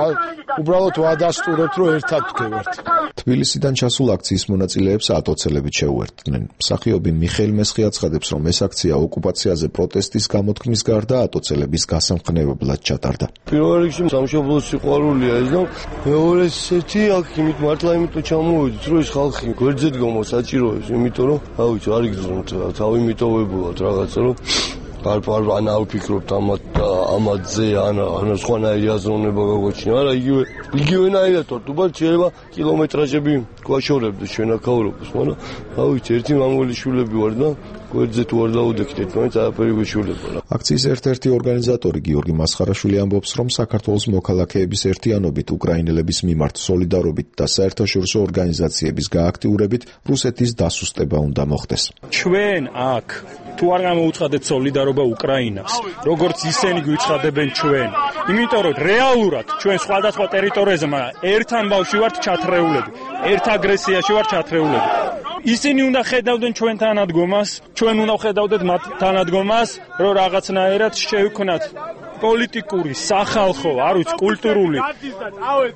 უბრალოდ ვადასტურებთ, რომ ერთად ვდგევართ. თბილისიდან ჩასულ აქციის მონაწილეებს ატოცელებით შეუერთდნენ. მსახიობი მიხეილ მესხი აცხადებს, რომ ეს აქცია ოკუპაციაზე პროტესტის გამოთქმის გარდა ატოცელების გასამხნევებლად ჩატარდა. პირველ რიგში სამშობლოს სიყვარულია ეს და მეორე ესეთი აქ იმით მართლა იმიტომ ჩამოვედით, რომ ეს ხალხი გვერდზე დგომა საჭიროებს, იმიტომ რომ ავიცი არ იგრძნობთ თავი მიტოვებულად რაღაცა რომ არ არ ან ავფიქრობთ ამათ ამათზე ან ან სხვანაირი აზროვნება გაგვაჩინა, არა იგივე იგივენაირად თორტუბად შეიძლება კილომეტრაჟები გვაშორებდეს ჩვენ აქაურობას, მაგრამ ავიცი ერთი მამული შვილები ვარ და გვერდზე თუ არ დაუდექდეთ, მაინც არაფერი გვეშველება. აქციის ერთ-ერთი ორგანიზატორი გიორგი მასხარაშვილი ამბობს, რომ საქართველოს მოქალაქეების ერთიანობით, უკრაინელების მიმართ სოლიდარობით და საერთაშორისო ორგანიზაციების გააქტიურებით რუსეთის დასუსტება უნდა მოხდეს. ჩვენ აქ თუ არ გამოუცხადეთ სოლიდარობა უკრაინას, როგორც ისინი გვიცხადებენ ჩვენ, იმიტომ რომ რეალურად ჩვენ სხვადასხვა ტერიტორიაზე, მაგრამ ერთ ამბავში ვართ ჩათრეულები, ერთ აგრესიაში ვართ ჩათრეულები. ისინი უნდა ხედავდნენ ჩვენ თანადგომას, ჩვენ უნდა ხედავდეთ მათ თანადგომას, რომ რაღაცნაირად შევქნათ პოლიტიკური, სახალხო, არ ვიცი, კულტურული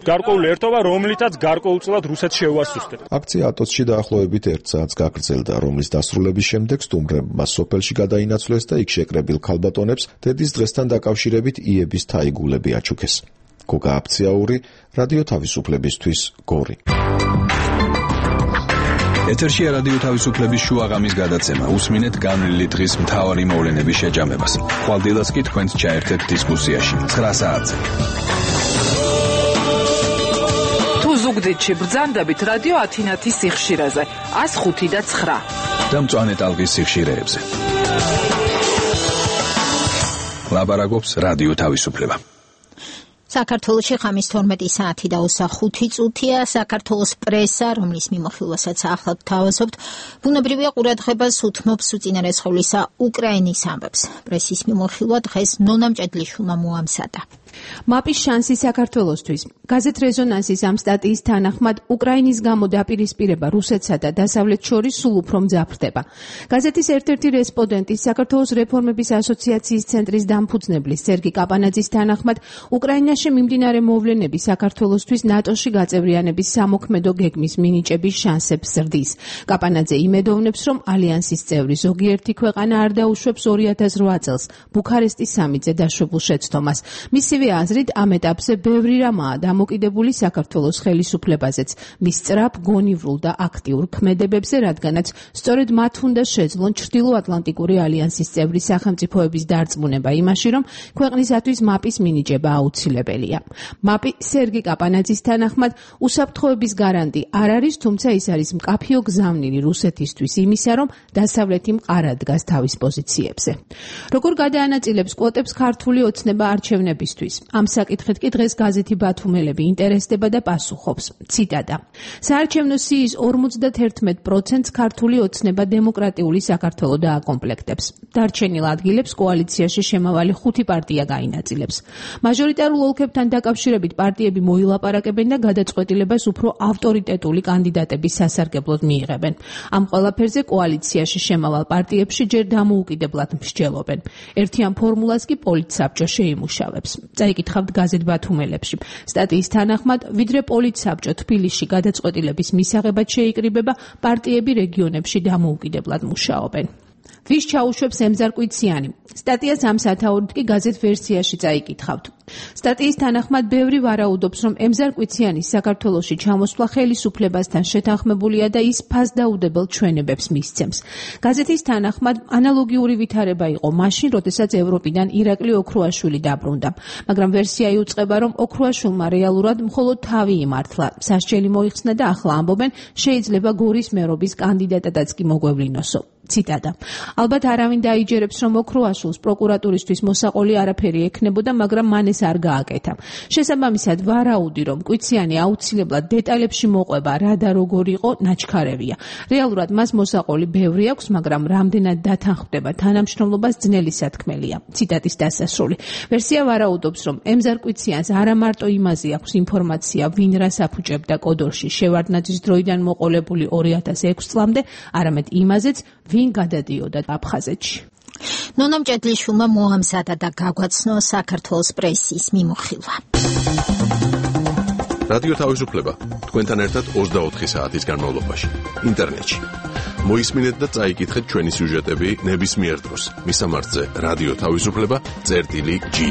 გარკვეული ერთობა, რომლითაც გარკვეულწილად რუსეთს შეუასუსტებს. აქცია ატოცში დაახლოებით ერთ საათს გაგრძელდა, რომლის დასრულების შემდეგ სტუმრებმა სოფელში გადაინაცვლეს და იქ შეკრებილ ქალბატონებს დედის დღესთან დაკავშირებით იების თაიგულები აჩუქეს. გოგა აფციაური, რადიო თავისუფლებისთვის, გორი. ეთერშია რადიო თავისუფლების შუაღამის გადაცემა. უსმინეთ განვლილი დღის მთავარი მოვლენების შეჯამებას. ხვალდილას კი თქვენს ჩაერთეთ დისკუსიაში. ცხრა საათზე. თუ ზუგდიდში ბრძანდებით რადიო ათინათის სიხშირეზე ას ხუთი და ცხრა. და მწვანე ტალღის სიხშირეებზე. ლაბარაკობს რადიო თავისუფლება. საქართველოში ხამის თორმეტი საათი და ოცდახუთი წუთია. საქართველოს პრესა, რომლის მიმოხილვასაც ახლად თავაზობთ, ბუნებრივია ყურადღებას უთმობს უწინარესხევლისა უკრაინის ამბებს. პრესის მიმოხილვა დღეს ნონა მჭედლიშვილმა მოამზადა. მაპის შანსი საქართველოსთვის. გაზეთ რეზონანსის ამ სტატიის თანახმად უკრაინის გამო დაპირისპირება რუსეთსა და დასავლეთს შორის სულ უფრო მძაფრდება. გაზეთის ერთ-ერთი რესპონდენტი საქართველოს რეფორმების ასოციაციის ცენტრის დამფუძნებლის სერგი კაპანაძის თანახმად უკრაინაში მიმდინარე მოვლენები საქართველოსთვის ნატოში გაწევრიანების სამოქმედო გეგმის მინიჭების შანსებს ზრდის. კაპანაძე იმედოვნებს, რომ ალიანსის წევრი ზოგიერთი ქვეყანა არ დაუშვებს ორი ათას რვა წელს ბუქარესტის სამიტზე დაშვებულ შეცდომას. მისივე აზრით ამ ეტაპზე ბევრი რამაა დამოკიდებული საქართველოს ხელისუფლებაზეც, მის სწრაფ, გონივრულ და აქტიურ ქმედებებზე, რადგანაც სწორედ მათ უნდა შეძლონ ჩრდილოატლანტიკური ალიანსის წევრი სახელმწიფოების დარწმუნება იმაში, რომ ქვეყნისათვის მაპის მინიჭება აუცილებელია. მაპი სერგი კაპანაძის თანახმად უსაფრთხოების გარანტი არ არის, თუმცა ის არის მკაფიო გზავნილი რუსეთისთვის იმისა, რომ დასავლეთი მყარად დგას თავის პოზიციებზე. როგორ გადაანაწილებს კვოტებს ქართული ოცნება არჩევნებისთვის? ამ საკითხით კი დღეს გაზეთი ბათუმელები ინტერესდება და პასუხობს. ციტატა. საარჩევნო სიის ორმოცდაერთმეტ პროცენტს ქართული ოცნება დემოკრატიული საქართველო დააკომპლექტებს. დარჩენილ ადგილებს კოალიციაში შემავალი ხუთი პარტია გაინაწილებს. მაჟორიტარულ ოლქებთან დაკავშირებით პარტიები მოილაპარაკებენ და გადაწყვეტილებას უფრო ავტორიტეტული კანდიდატების სასარგებლოდ მიიღებენ. ამ ყველაფერზე კოალიციაში შემავალ პარტიებში ჯერ დამოუკიდებლად მსჯელობენ. ერთიან ფორმულას კი პოლიტსაბჭო შეიმუშავებს. წაიკითხავთ გაზეთ ბათუმელებში. სტატიის თანახმად, ვიდრე პოლიტსაბჭო თბილისში გადაწყვეტილების მისაღებად შეიკრიბება, პარტიები რეგიონებში დამოუკიდებლად მუშაობენ. ვის ჩაუშვებს ემზარკვიციანი? სტატიას ამ სათაურით კი გაზეთ ვერსიაში წაიკითხავთ. სტატიის თანახმად ბევრი ვარაუდობს, რომ ემზარკვიციანის საქართველოში ჩამოსვლა ხელისუფლებასთან შეთანხმებულია და ის ფასდაუდებელ ჩვენებებს მისცემს. გაზეთის თანახმად ანალოგიური ვითარება იყო მაშინ, როდესაც ევროპიდან ირაკლი ოქრუაშვილი დაბრუნდა. მაგრამ ვერსია იუწყება, რომ ოქრუაშვილმა რეალურად მხოლოდ თავი იმართლა. სასჯელი მოიხსნა და ახლა ამბობენ, შეიძლება გორის მერობის კანდიდატადაც კი მოგვევლინოსო. ციტატა. ალბათ არავინ დაიჯერებს, რომ ოქრუაშვილს პროკურატურისთვის მოსაყოლი არაფერი ექნებოდა, მაგრამ მან ეს არ გააკეთა. შესაბამისად, ვარაუდი, რომ კვიციანი აუცილებლად დეტალებში მოყვება, რა და როგორ იყო, ნაჩქარევია. რეალურად მას მოსაყოლი ბევრი აქვს, მაგრამ რამდენად დათანხმდება თანამშრომლობას ძნელი სათქმელია. ციტატის დასასრული. ვერსია ვარაუდობს, რომ ემზარკვიციანს არა მარტო იმაზე აქვს ინფორმაცია, ვინ რას აფუჭებდა კოდორში შევარდნაძის დროიდან მოყოლებული ორი ათას ექვსი წლამდე, არამედ იმაზეც, ვინ გადადიოდა აფხაზეთში. ნონა მჭედლიშვილმა მოამზადა და გაგვაცნო საქართველოს პრესის მიმოხილვა. რადიო თავისუფლება თქვენთან ერთად ოცდაოთხი საათის განმავლობაში ინტერნეტში. მოისმინეთ და წაიკითხეთ ჩვენი სიუჟეტები ნებისმიერ დროს. მისამართზე რადიო თავისუფლება წერტილი ჯი.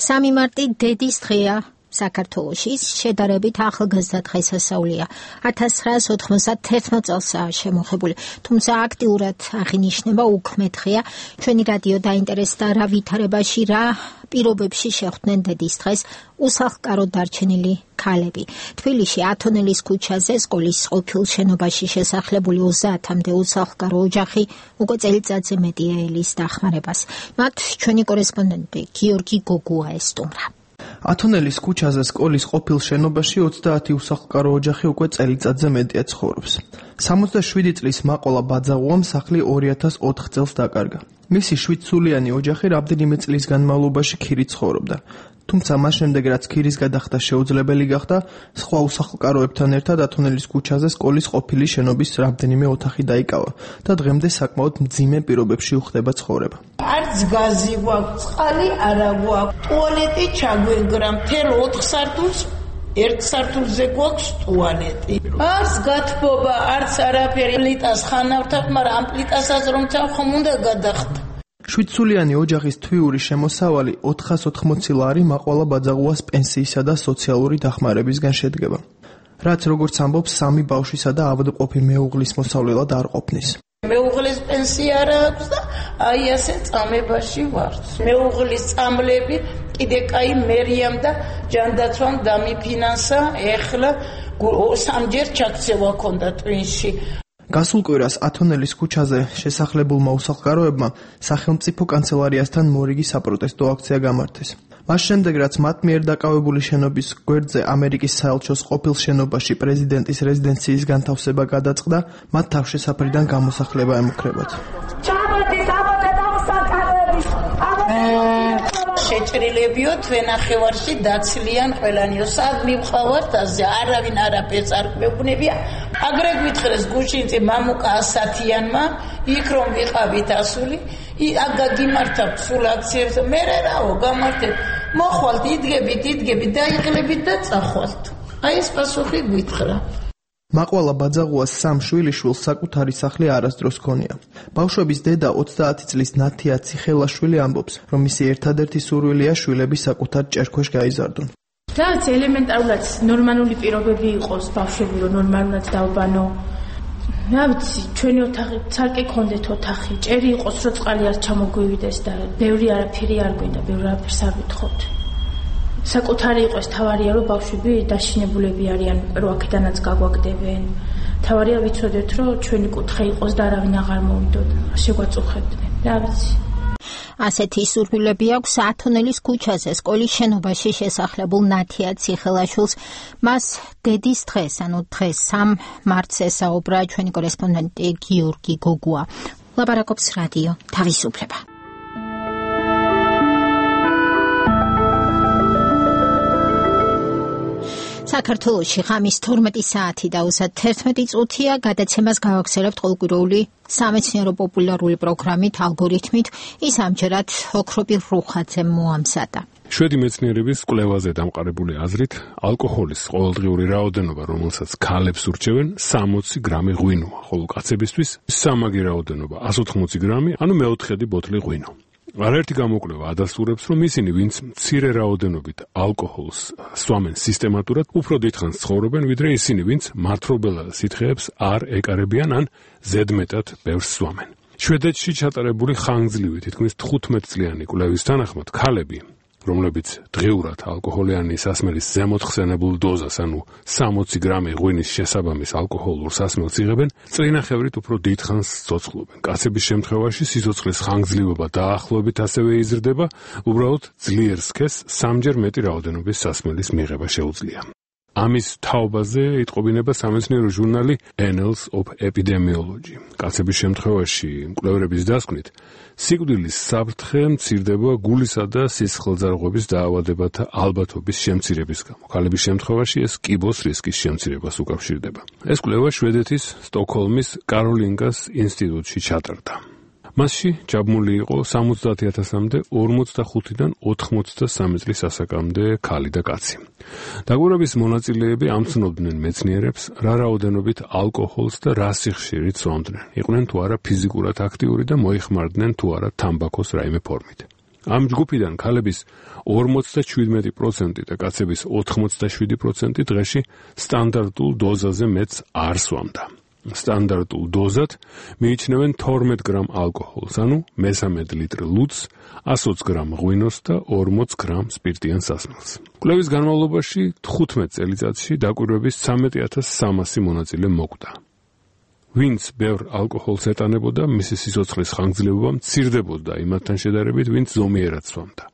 სამი მარტი დედის დღეა. საქართველოში შედარებით ახალგაზრდა დღესასწაულია. ათას ცხრაას ოთხმოცდათერთმეტ წელსაა შემოღებული, თუმცა აქტიურად აღინიშნება უქმე დღეა. ჩვენი რადიო დაინტერესდა რა ვითარებაში, რა პირობებში შეხვდნენ დედის დღეს უსახლკაროდ დარჩენილი ქალები. თბილისში ათონელის ქუჩაზე სკოლის ყოფილ შენობაში შესახლებული ოცდაათამდე უსახლკარო ოჯახი უკვე წელიწადზე მეტია ელის დახმარებას. მათ ჩვენი კორესპონდენტი გიორგი გოგუა ესტუმრა. ათონელის ქუჩაზე სკოლის ყოფილ შენობაში ოცდაათი უსახლკარო ოჯახი უკვე წელიწადზე მეტია ცხოვრობს. სამოცდაშვიდი წლის მაყოლა ბაძაღუამ სახლი ორი ათას ოთხ წელს დაკარგა. მისი შვიდსულიანი ოჯახი რამდენიმე წლის განმავლობაში ქირით ცხოვრობდა. თუმცა მას შემდეგ რაც ქირის გადახდა შეუძლებელი გახდა, სხვა უსახლკაროებთან ერთად ათონელის ქუჩაზე სკოლის ყოფილი შენობის რამდენიმე ოთახი დაიკავა და დღემდე საკმაოდ მძიმე პირობებში უხდება ცხოვრება. არც გაზი გვაქვს, წყალი არა გვაქვს, ტუალეტი ჩაგვენგრა მთელ ოთხ სართულს, ერთ სართულზე გვაქვს ტუალეტი. არც გათბობა, არც არაფერი, პლიტას ხანავთობ, მაგრამ ამ პლიტასაც რომ ხომ უნდა გადახდა. შვიდსულიანი ოჯახის თვიური შემოსავალი ოთხას ოთხმოცი ლარი მაყვალა ბაძაღუას პენსიისა და სოციალური დახმარებისგან შედგება, რაც როგორც ამბობს სამი ბავშვისა და ავადმყოფი მეუღლის მოსავლელად არ ყოფნის. მეუღლის პენსია არ აქვს და აი ასე წამებაში ვარ. მეუღლის წამლები კიდე კაი მერიამ და ჯანდაცვამ დამიფინანსა, ეხლა სამჯერ ჩაქცევა ქონდა ტვინში. გასულ კვირას ათონელის ქუჩაზე შესახლებულმა უსახლკაროებმა სახელმწიფო კანცელარიასთან მორიგი საპროტესტო აქცია გამართეს. მას შემდეგ, რაც მათ მიერ დაკავებული შენობის გვერდზე ამერიკის საელჩოს ყოფილ შენობაში პრეზიდენტის რეზიდენციის განთავსება გადაწყდა, მათ თავშესაფრიდან გამოსახლება ემუქრებათ. შეჭრილებიო თვენახევარში დაცლიან ყველანიო სად მივყავართ ასე არავინ არაფერს არ გვეუბნებია. აგრე გვითხრეს გუშინწი მამუკა ასათიანმა იქ რომ ვიყავით ასული აგა გიმართავთ სულ აქციებს მერე რაო გამართეთ მოხვალთ იდგებით იდგებით დაიღლებით და წახვალთ. აი ეს პასუხი გვითხრა. მაყვალა ბაძაღუას სამ შვილიშვილს საკუთარი სახლი არასდროს ჰქონია. ბავშვების დედა ოცდაათი წლის ნათია ციხელაშვილი ამბობს, რომ მისი ერთადერთი სურვილია შვილები საკუთარ ჭერქვეშ გაიზარდონ. რაც ელემენტარულად ნორმალური პირობები იყოს ბავშვები რომ ნორმალურად დავბანო. რა ვიცი, ჩვენი ოთახი ცალკე ქონდეთ ოთახი, ჭერი იყოს რომ წყალი არ ჩამოგვივიდეს და ბევრი არაფერი არ გვინდა, ბევრი არაფერს არ ვითხოვთ. საკუთარი იყოს თავარია რომ ბავშვები დაშინებულები არიან, რომ აქედანაც გაგვაგდებენ. თავარია ვიცოდეთ რომ ჩვენი კუთხე იყოს და არავინ აღარ მოვიდოდა. შეგვაწუხებდნენ. რა ვიცი. ასეთი სურვილები აქვს ათონელის ქუჩაზე სკოლის შენობაში შესახლებულ ნათია ციხელაშვილს. მას დედის დღეს, ანუ დღეს სამ მარტს ესაუბრა ჩვენი კორესპონდენტი გიორგი გოგუა. ლაპარაკობს რადიო თავისუფლება. საქართველოში ღამის თორმეტი საათი და ოცდაათი წუთია გადაცემას გავაგზავნებთ ყოველკვირეული სამეცნიერო პოპულარული პროგრამით ალგორითმით. ის ამჯერად ოქროპირ რუხაძემ მოამზადა. შვედი მეცნიერების კვლევაზე დამყარებული აზრით, ალკოჰოლის ყოველდღიური რაოდენობა, რომელსაც ქალებს ურჩევენ, სამოცი გრამი ღვინოა, ხოლო კაცებისთვის სამაგი რაოდენობა εκατს ოთხმოცი გრამი, ანუ მეოთხედი ბოთლი ღვინო. არაერთი გამოკვლევა ადასტურებს, რომ ისინი, ვინც მცირე რაოდენობით ალკოჰოლს სვამენ სისტემატურად, უფრო დიდხანს ცხოვრობენ, ვიდრე ისინი, ვინც მართლობელ სითხეებს არ ეკარებიან ან ზედმეტად ბევრს სვამენ. შვედეთში ჩატარებული ხანგრძლივი თითქმის თხუთმეტ წლიანი კვლევის თანახმად, ქალები, რომლებიც დღიურად ალკოჰოლიანი სასმელის ზემოთ ხსენებულ დოზას, ანუ სამოცი გრამი ღვინის შესაბამის ალკოჰოლურ სასმელს იღებენ, წრინახევრით უფრო დიდხანს ცოცხლობენ. კაცების შემთხვევაში სიცოცხლის ხანგრძლივობა დაახლოებით ასევე იზრდება, უბრალოდ ძლიერ სქესს სამჯერ მეტი რაოდენობის სასმელის მიღება შეუძლია. ამის თაობაზე იტყობინება სამეცნიერო ჟურნალი Annals of Epidemiology. კაცების შემთხვევაში მკვლევრების დასკვნით, სიკვდილის საფრთხე მცირდება გულისა და სისხლძარღვების დაავადებათა ალბათობის შემცირების გამო. ქალების შემთხვევაში ეს კიბოს რისკის შემცირებას უკავშირდება. ეს კვლევა შვედეთის სტოკჰოლმის კაროლინგას ინსტიტუტში ჩატარდა. მასში ჯაბმული იყო სამოცდაათი ათასამდე ორმოცდახუთიდან ოთხმოცდასამი წლის ასაკამდე ქალი და კაცი. დაკვირვების მონაწილეები ამცნობდნენ მეცნიერებს, რა რაოდენობით ალკოჰოლს და რა სიხშირით სვამდნენ. იყვნენ თუ არა ფიზიკურად აქტიური და მოიხმარდნენ თუ არა თამბაქოს რაიმე ფორმით. ამ ჯგუფიდან ქალების ორმოცდაჩვიდმეტი პროცენტი და კაცების ოთხმოცდაშვიდი პროცენტი დღეში სტანდარტულ დოზაზე მეტს არ სვამდა. სტანდარტულ დოზად მიიჩნევენ თორმეტ გრამ ალკოჰოლს, ანუ მესამედ ლიტრ ლუდს, εκατს ოცი გრამ ღვინოს და ორმოც გრამ სპირტიან სასმელს. კვლევის განმავლობაში თხუთმეტ წელიწადში დაკვირვების ცხრამეტი ათას სამასი მონაწილე მოკვდა. ვინც ბევრ ალკოჰოლს ეტანებოდა, მისი სიცოცხლის ხანგრძლივობა მცირდებოდა იმათთან შედარებით, ვინც ზომიერად სვამდა.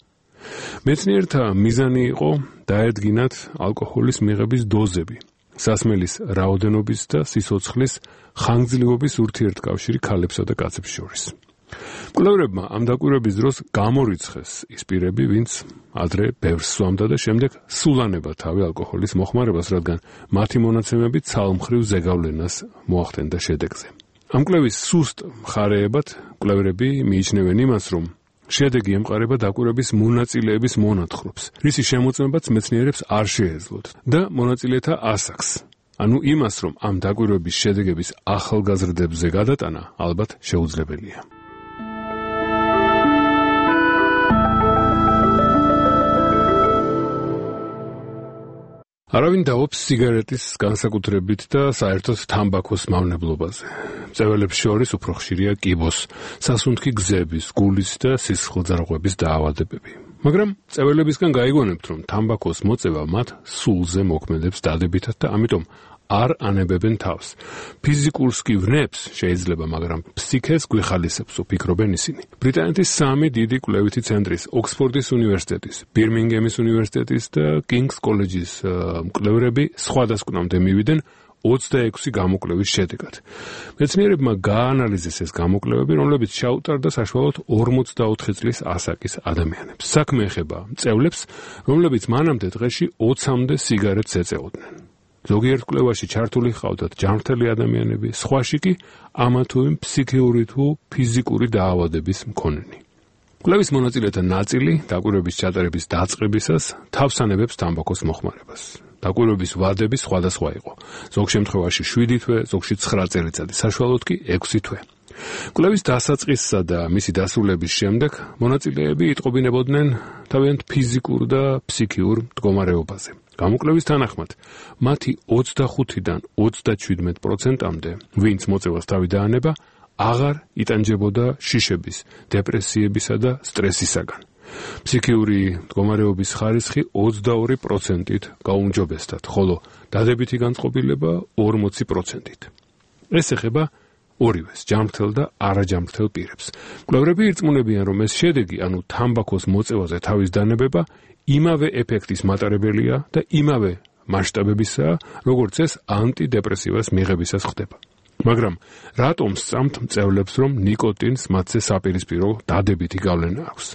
მეცნიერთა მიზანი იყო დაედგინათ ალკოჰოლის მიღების დოზები, სასმელის რაოდენობის და სიცოცხლის ხანგრძლივობის ურთიერთკავშირი ქალებსა და კაცებს შორის. კვლევრებმა ამ დაკვირვების დროს გამორიცხეს ის პირები, ვინც ადრე ბევრს სვამდა და შემდეგ სულანება თავი ალკოჰოლის მოხმარებას, რადგან მათი მონაცემები ცალმხრივ ზეგავლენას მოახდენდა შედეგზე. ამ კვლევის სუსტ მხარეებად კვლევრები მიიჩნევენ იმას, რომ შედეგი ემყარება დაკვირვების მონაწილეების მონათხრობს, რისი შემოწმებაც მეცნიერებს არ შეეძლოთ და მონაწილეთა ასაკს. ანუ იმას, რომ ამ დაკვირვების შედეგების ახალგაზრდებზე გადატანა ალბათ შეუძლებელია. არავინ დაობს სიგარეტის განსაკუთრებით და საერთოდ თამბაქოს მავნებლობაზე. მწვერვალებს შორის უფრო ხშირია კიბოს, სასუნთქი გზების, გულის და სისხლძარღვების დაავადებები. მაგრამ მწვერვალებისგან გაიგონებთ, რომ თამბაქოს მოწევა მათ სულზე მოქმედებს დადებითად და ამიტომ არ ანებებენ თავს. ფიზიკურს კი ვნებს შეიძლება, მაგრამ ფსიქეს გვიხალისებს, უფიქრობენ ისინი. ბრიტანეთის სამი დიდი კვლევითი ცენტრის, ოქსფორდის უნივერსიტეტის, ბირმინგემის უნივერსიტეტის და კინგს კოლეჯის მკვლევრები სხვადასხვამდე მივიდნენ ოცდაექვსი გამოკვლევის შედეგად. მეცნიერებმა გაანალიზეს ეს გამოკვლევები, რომლებიც ჩაუტარდა საშუალოდ ორმოცდაოთხი წლის ასაკის ადამიანებს. საქმე ეხება მწევლებს, რომლებიც მანამდე დღეში ოცამდე სიგარეტს ეწეოდნენ. ზოგიერთ კვლევაში ჩართული ჰყავდათ ჯანმრთელი ადამიანები, სხვაში კი ამა თუ იმ ფსიქიური თუ ფიზიკური დაავადების მქონენი. კვლევის მონაწილეთა ნაწილი დაკვირვების ჩატარების დაწყებისას თავს ანებებს თამბაქოს მოხმარებას. დაკვირვების ვადები სხვადასხვა იყო. ზოგ შემთხვევაში შვიდი თვე, ზოგში ცხრა წელიწადი, საშუალოდ კი ექვსი თვე. კვლევის დასაწყისსა და მისი დასრულების შემდეგ მონაწილეები იტყობინებოდნენ თავიანთ ფიზიკურ და ფსიქიურ მდგომარეობაზე. გამოკვლევის თანახმად, მათი ოცდახუთიდან ოცდაჩვიდმეტ პროცენტამდე, ვინც მოწევას თავი დაანება, აღარ იტანჯებოდა შიშების, დეპრესიებისა და სტრესისაგან. ფსიქიური მდგომარეობის ხარისხი ოცდაორი პროცენტით გაუმჯობესდათ, ხოლო დადებითი განწყობილება ორმოცი პროცენტით. ეს ეხება ორივეს, ჯანმრთელ და არაჯანმრთელ პირებს. კვლევრები ირწმუნებიან, რომ ეს შედეგი, ანუ თამბაქოს მოწევაზე თავის დანებება, იმავე ეფექტის მატარებელია და იმავე მასშტაბებისაა, როგორც ეს ანტიდეპრესივას მიღებისას ხდება. მაგრამ რატომ სწამთ მწევლებს, რომ ნიკოტინს მათზე საპირისპირო დადებითი გავლენა აქვს?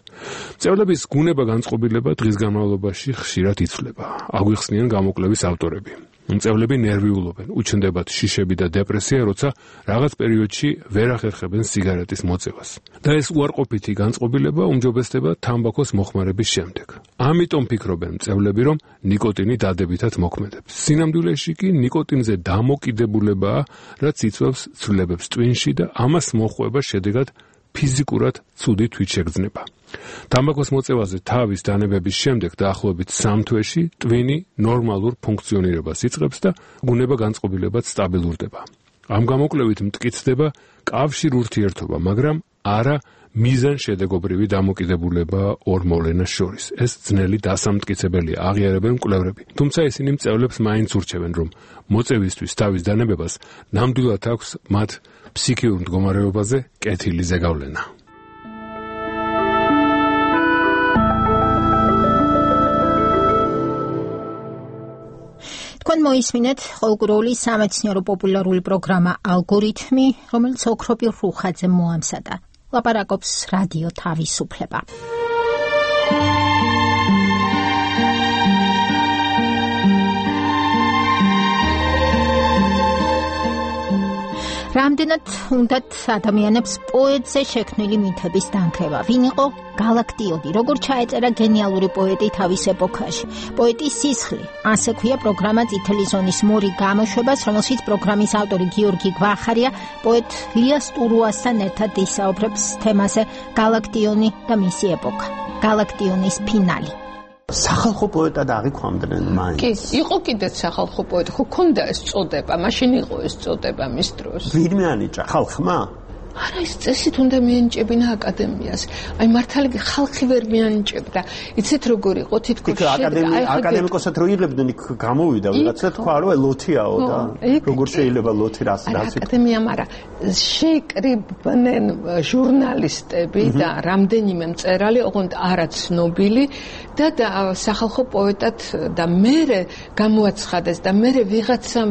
მწევლების გუნება განწყობილება დღის განმავლობაში ხშირად იცვლება. აგვიხსნიან გამოკვლევის ავტორები. მწევლები ნერვიულობენ, უჩნდებათ შიშები და დეპრესია, როცა რაღაც პერიოდში ვერ ახერხებენ სიგარეტის მოწევას. და ეს უარყოფითი განწყობილება უმჯობესდება თამბაქოს მოხმარების შემდეგ. ამიტომ ფიქრობენ მწევლები, რომ ნიკოტინი დადებითად მოქმედებს. სინამდვილეში კი ნიკოტინზე დამოკიდებულებაა, რაც იწვევს ცვლილებებს ტვინში და ამას მოჰყვება შედეგად ფიზიკურად ცუდი თვითშეგრძნება. თამბაქოს მოწევაზე თავის დანებების შემდეგ დაახლოებით სამ თვეში ტვინი ნორმალურ ფუნქციონირებას იწყებს და გუნება განწყობილებაც სტაბილურდება. ამ გამოკვლევით მტკიცდება კავშირ ურთიერთობა, მაგრამ არა მიზანშედეგობრივი დამოკიდებულება ორ მოვლენას შორის. ეს ძნელი დასამტკიცებელია, აღიარებენ მკვლევრები. თუმცა ისინი მწევლებს მაინც ურჩევენ, რომ მოწევისთვის თავის დანებებას ნამდვილად აქვს მათ ფსიქიურ მდგომარეობაზე კეთილი ზეგავლენა. თქვენ მოისმინეთ ყოველკვირეული სამეცნიერო პოპულარული პროგრამა ალგორითმი, რომელიც ოქროპირ რუხაძე მოამზადა. ლაპარაკობს რადიო თავისუფლება. რამდენად უნდათ ადამიანებს პოეტზე შექმნილი მითების დანქრება? ვინ იყო გალაქტიონი? როგორ ჩაეწერა გენიალური პოეტი თავის ეპოქაში? პოეტის სისხლი, ასე ქვია პროგრამა წითელი ზონის მორი გამოშვებას, რომელშიც პროგრამის ავტორი გიორგი გვახარია პოეტ ლიას ტურუასთან ერთად ისაუბრებს თემაზე გალაქტიონი და მისი ეპოქა, გალაქტიონის ფინალი. სახალხო პოეტად აღიქვამდნენ მაინც. კი, იყო კიდეც სახალხო პოეტი, ხო ქონდა ეს წოდება, მაშინ იყო ეს წოდება მის დროს. ვირმე ანიჭა ხალხმა? არა, ის წესით უნდა მიენიჭებინა აკადემიას. აი მართალი ხალხი ვერ მიენიჭებდა. იცით როგორ იყო თითქოს აკადემია აკადემიკოსად რო იღებდნენ იქ გამოვიდა ვიღაცა თქვა რომ ლოთიაო და როგორ შეიძლება ლოთი რას რას აკადემია, მაგრამ შეიკრიბნენ ჟურნალისტები და რამდენიმე მწერალი, ოღონდ არა ცნობილი და სახალხო პოეტად და მერე გამოაცხადეს და მერე ვიღაცამ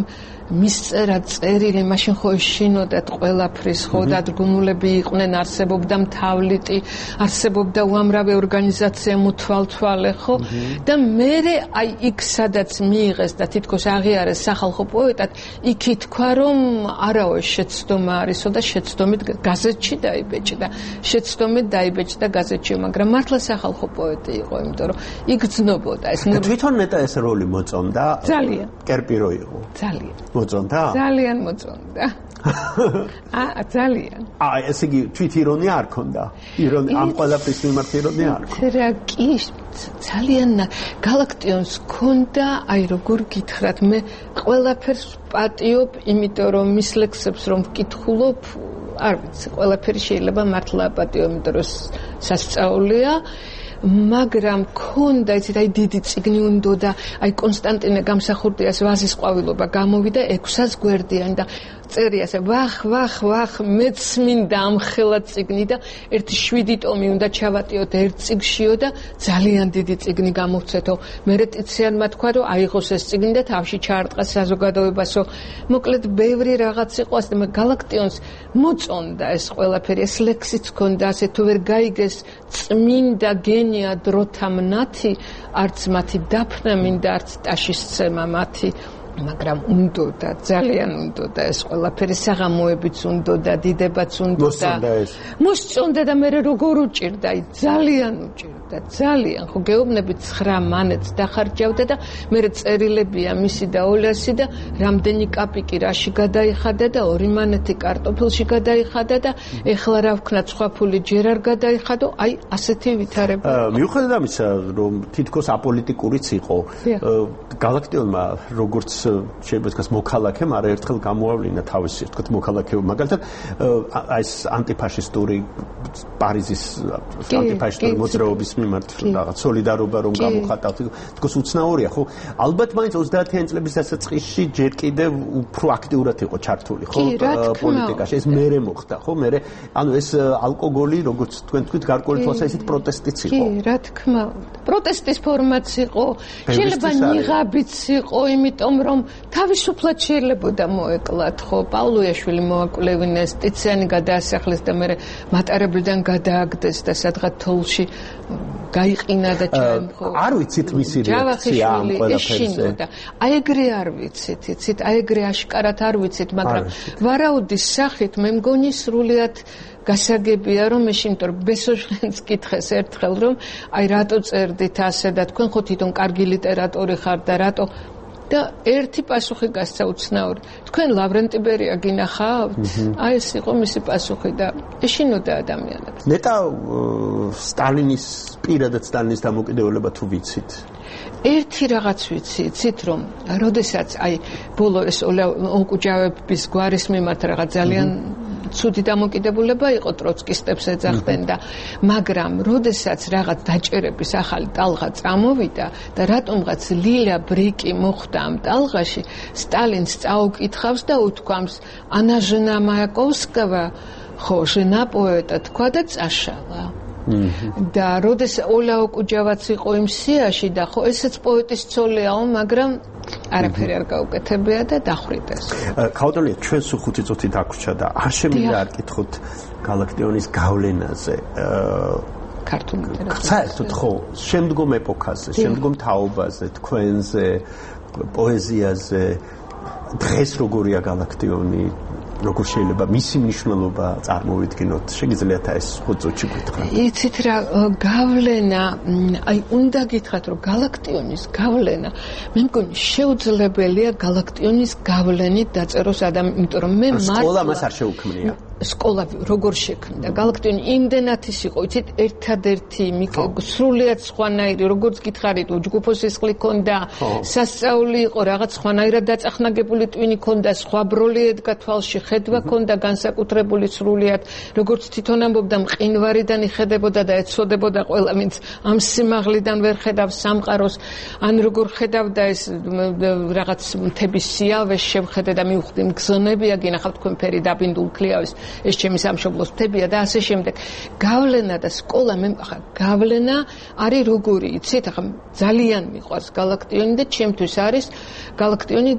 მისწერა წერილი, მაშინ ხო ეშინოდათ ყველაფრის, ხო დადგმულები იყვნენ, არსებობდა მთავლიტი, არსებობდა უამრავი ორგანიზაცია მოთვალთვალე, ხო? და მერე აი იქ სადაც მიიღეს და თითქოს აღიარეს სახალხო პოეტად, იქ ითქვა რომ არაო შეცდომა არისო და შეცდომით გაზეთში დაიბეჭდა. შეცდომით დაიბეჭდა გაზეთში, მაგრამ მართლა სახალხო პოეტი იყო, იმიტომ რომ იგრძნობოდა ეს. თვითონ ნეტა ეს როლი მოწონდა? ძალიან. კერპირო იყო. ძალიან. მოწონდა? ძალიან მოწონდა. აა ძალიან. აა ესე იგი თვით ირონია არ ქონდა? ირონია ამ ყველაფრის მიმართ ირონია არ ქონდა? რა კი ძალიან გალაქტიონს ქონდა, აი როგორ გითხრათ, მე ყველაფერს პატიობ, იმიტომ რომ მის ლექსებს რომ ვკითხულობ, არ ვიცი, ყველაფერი შეიძლება მართლა პატიო, იმიტომ რომ სასწაულია. მაგრამ ქონდა იცით აი დიდი წიგნი უნდა და აი კონსტანტინე გამსახურდიას ვაზის ყვავილობა გამოვიდა ექვსას გვერდიანი და წერია ასე ვახ ვახ ვახ მეც მინდა ამხელა წიგნი და ერთი შვიდი ტომი უნდა ჩავატიოთ ერთ წიგნშიო და ძალიან დიდი წიგნი გამოვცეთო. მერე ტიციანმა თქვა რომ აიღოს ეს წიგნი და თავში ჩაარტყა საზოგადოებასო. მოკლედ ბევრი რაღაც იყო ასე მე გალაქტიონს მოწონდა ეს ყველაფერი, ეს ლექსიც ქონდა ასე თუ ვერ გაიგეს წმინდა გენია დროთა მნათი, არც მათი დაფნა მინდა, არც ტაშისცემა მათი. მაგრამ უნდოდა, ძალიან უნდოდა ეს ყველაფერი, საღამოებიც უნდოდა, დიდებაც უნდოდა. მოსწონდა და მე როგორ უჭირდა, ძალიან უჭირდა, ძალიან. ხო გეუბნები ცხრა მანეთს დახარჯავდა და მე წერილებია მისი და ოლასი და რამდენი კაპიკი რაში გადაიხადა და ორი მანეთი კარტოფილში გადაიხადა და ეხლა რა ვქნა სხვა ფული ჯერ არ გადაიხადო, აი ასეთი ვითარება. მიუხედავად ამისა, რომ თითქოს აპოლიტიკურიც იყო, გალაქტიონმა როგორც შეიძლება თქვას მოქალაქემ არაერთხელ გამოავლინა თავისი თქვათ მოქალაქეობა მაგალითად აი ეს ანტიფაშისტური პარიზის ანტიფაშისტური მოძრაობის მიმართ რაღაც სოლიდარობა რომ გამოხატავთ თქოს უცნაურია ხო ალბათ მაინც ოცდაათიანი წლების დასაწყისში ჯერ კიდევ უფრო აქტიურად იყო ჩართული ხო პოლიტიკაში ეს მერე მოხდა ხო მერე ანუ ეს ალკოგოლი როგორც თქვენ თქვით გარკვეული თვალსაზრისით პროტესტიც იყო კი რა თქმა უნდა პროტესტის ფორმაც იყო შეიძლება ნიღაბიც იყო იმიტომ რომ თავისუფლად შეიძლებოდა მოეკლათ ხო პავლუიაშვილი მოაკვლევინეს ტიციანი გადაასახლეს და მე მატარებლიდან გადააგდეს და სადღაც თოლში გაიყინა და ჩაემხო არ ვიცით მისი რეაქცია ამ ყველაფერზე აი ეგრე არ ვიცით იცით აი ეგრე აშკარად არ ვიცით მაგრამ ვარაუდის სახით მე მგონი სრულიად გასაგებია რომ ეშინ იმიტომ რომ ბესოჟლენს კითხეს ერთხელ რომ აი რატო წერდით ასე და თქვენ ხო თვითონ კარგი ლიტერატორი ხართ და რატო და ერთი პასუხი გასცა უცნაური. თქვენ ლავრენტი ბერია გინახავთ? აი ეს იყო მისი პასუხი და ეშინოდა ადამიანებს. ნეტა სტალინის პირადად სტალინის დამოკიდებულება თუ ვიცით? ერთი რაღაც ვიცი, იცით რომ როდესაც აი ბოლო ეს ოკუჯავების გვარის მიმართ რაღაც ძალიან ცუდი დამოკიდებულება იყო ტროცკისტებს ეძახდნენ და მაგრამ როდესაც რაღაც დაჭერების ახალი ტალღა წამოვიდა და რატომღაც ლილა ბრიკი მოხვდა ამ ტალღაში სტალინს წაუკითხავს და უთქვამს ანა ჟენა მაიაკოვსკავა ხო ჟენა პოეტა თქვა და წაშალა და როდეს ოლა ოკუჯავაც იყო იმ სიაში და ხო ესეც პოეტის ცოლიაო მაგრამ არაფერი არ გაუკეთებია და დახვრიტეს. ქაუტონია ჩვენ სულ ხუთი წუთი დაგვრჩა და არ შემიძლია არ კითხოთ გალაქტიონის გავლენაზე. ქართულ ლიტერატურაზე. საერთოდ ხო, შემდგომ ეპოქაზე, შემდგომ თაობაზე, თქვენზე, პოეზიაზე დღეს როგორია გალაქტიონი როგორ შეიძლება მისი მნიშვნელობა წარმოვიდგინოთ შეგიძლიათ ეს ხუთ წუთში გითხრათ იცით რა გავლენა აი უნდა გითხრათ რომ გალაქტიონის გავლენა მე მგონი შეუძლებელია გალაქტიონის გავლენით დაწეროს ადამიანი იმიტომ რომ მე მართლა სკოლა მას არ შეუქმნია სკოლა როგორ შექმნდა გალაქტიონი იმდენად ის იყო იცით ერთადერთი სრულიად სხვანაირი როგორც გითხარით უჯგუფოს სისხლი ქონდა სასწაული იყო რაღაც სხვანაირად დაწახნაგებული ტვინი ქონდა სხვა ბროლი ედგა თვალში ხედვა ქონდა განსაკუთრებული სრულიად როგორც თვითონ ამბობდა მყინვარიდან იხედებოდა და ეცოდებოდა ყველა ვინც ამ სიმაღლიდან ვერ ხედავს სამყაროს ან როგორ ხედავდა ეს რაღაც მთების სიავეს შევხედე და მივხვდი მგზნობია გინახავთ თქვენ ფერი დაბინდულ ქლიავის ეს ჩემი სამშობლოს მთებია და ასე შემდეგ. გავლენა და სკოლა მე ახლა გავლენა არის როგორი, იცით, ახლა ძალიან მიყვარს გალაქტიონი და ჩემთვის არის გალაქტიონი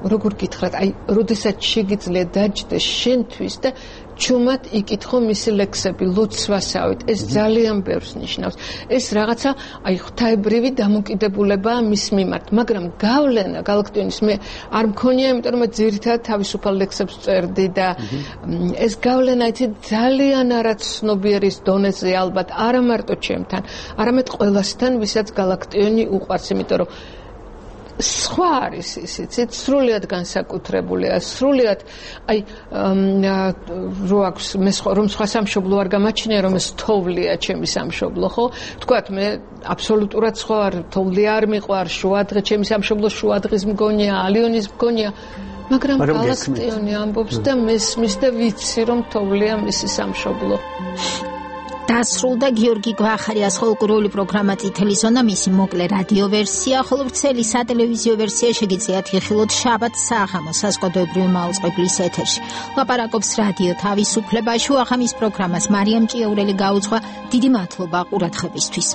როგორ გითხრათ, აი, როდესაც შეგიძლია დაჯდეს შენთვის და ჩუმად იკითხო მისი ლექსები, ლოცვასავით, ეს ძალიან ბევრს ნიშნავს. ეს რაღაცა, აი, ღვთაებრივი დამოკიდებულებაა მის მიმართ, მაგრამ გავლენა გალაქტიონის მე არ მქონია, იმიტომ რომ ძირითადად თავისუფალ ლექსებს წერდი და ეს გავლენა იცი ძალიან არაცნობიერის დონეზე ალბათ, არა მარტო ჩემთან, არამედ ყველასთან, ვისაც გალაქტიონი უყვარს, იმიტომ რომ სხვა არის ისიც სრულიად განსაკუთრებულია, სრულიად აი რო აქვს მე რომ სხვა სამშობლო არ გამაჩნია, რომ ეს თოვლია ჩემი სამშობლო, ხო? თქვათ მე აბსოლუტურად სხვა არ თოვლი არ მიყვარს, შუადღე ჩემი სამშობლო შუადღის მგონია, ალიონის მგონია, მაგრამ გალაქტიონი ამბობს და მესმის და ვიცი რომ თოვლია მისი სამშობლო. დასრულდა გიორგი გვახარიას ფოლკლორული პროგრამა წითელი ზონა, მისი მოკლე რადიო ვერსია, ხოლო ვრცელი სატელევიზიო ვერსია შეგიძლიათ იხილოთ შაბათ საღამოს საზოგადოებრივი მაუწყებლის ეთერში. ლაპარაკობს რადიო თავისუფლება, შუახამის პროგრამას მარიამ ჭიაურელი გაუძღვა. დიდი მადლობა ყურადღებისთვის.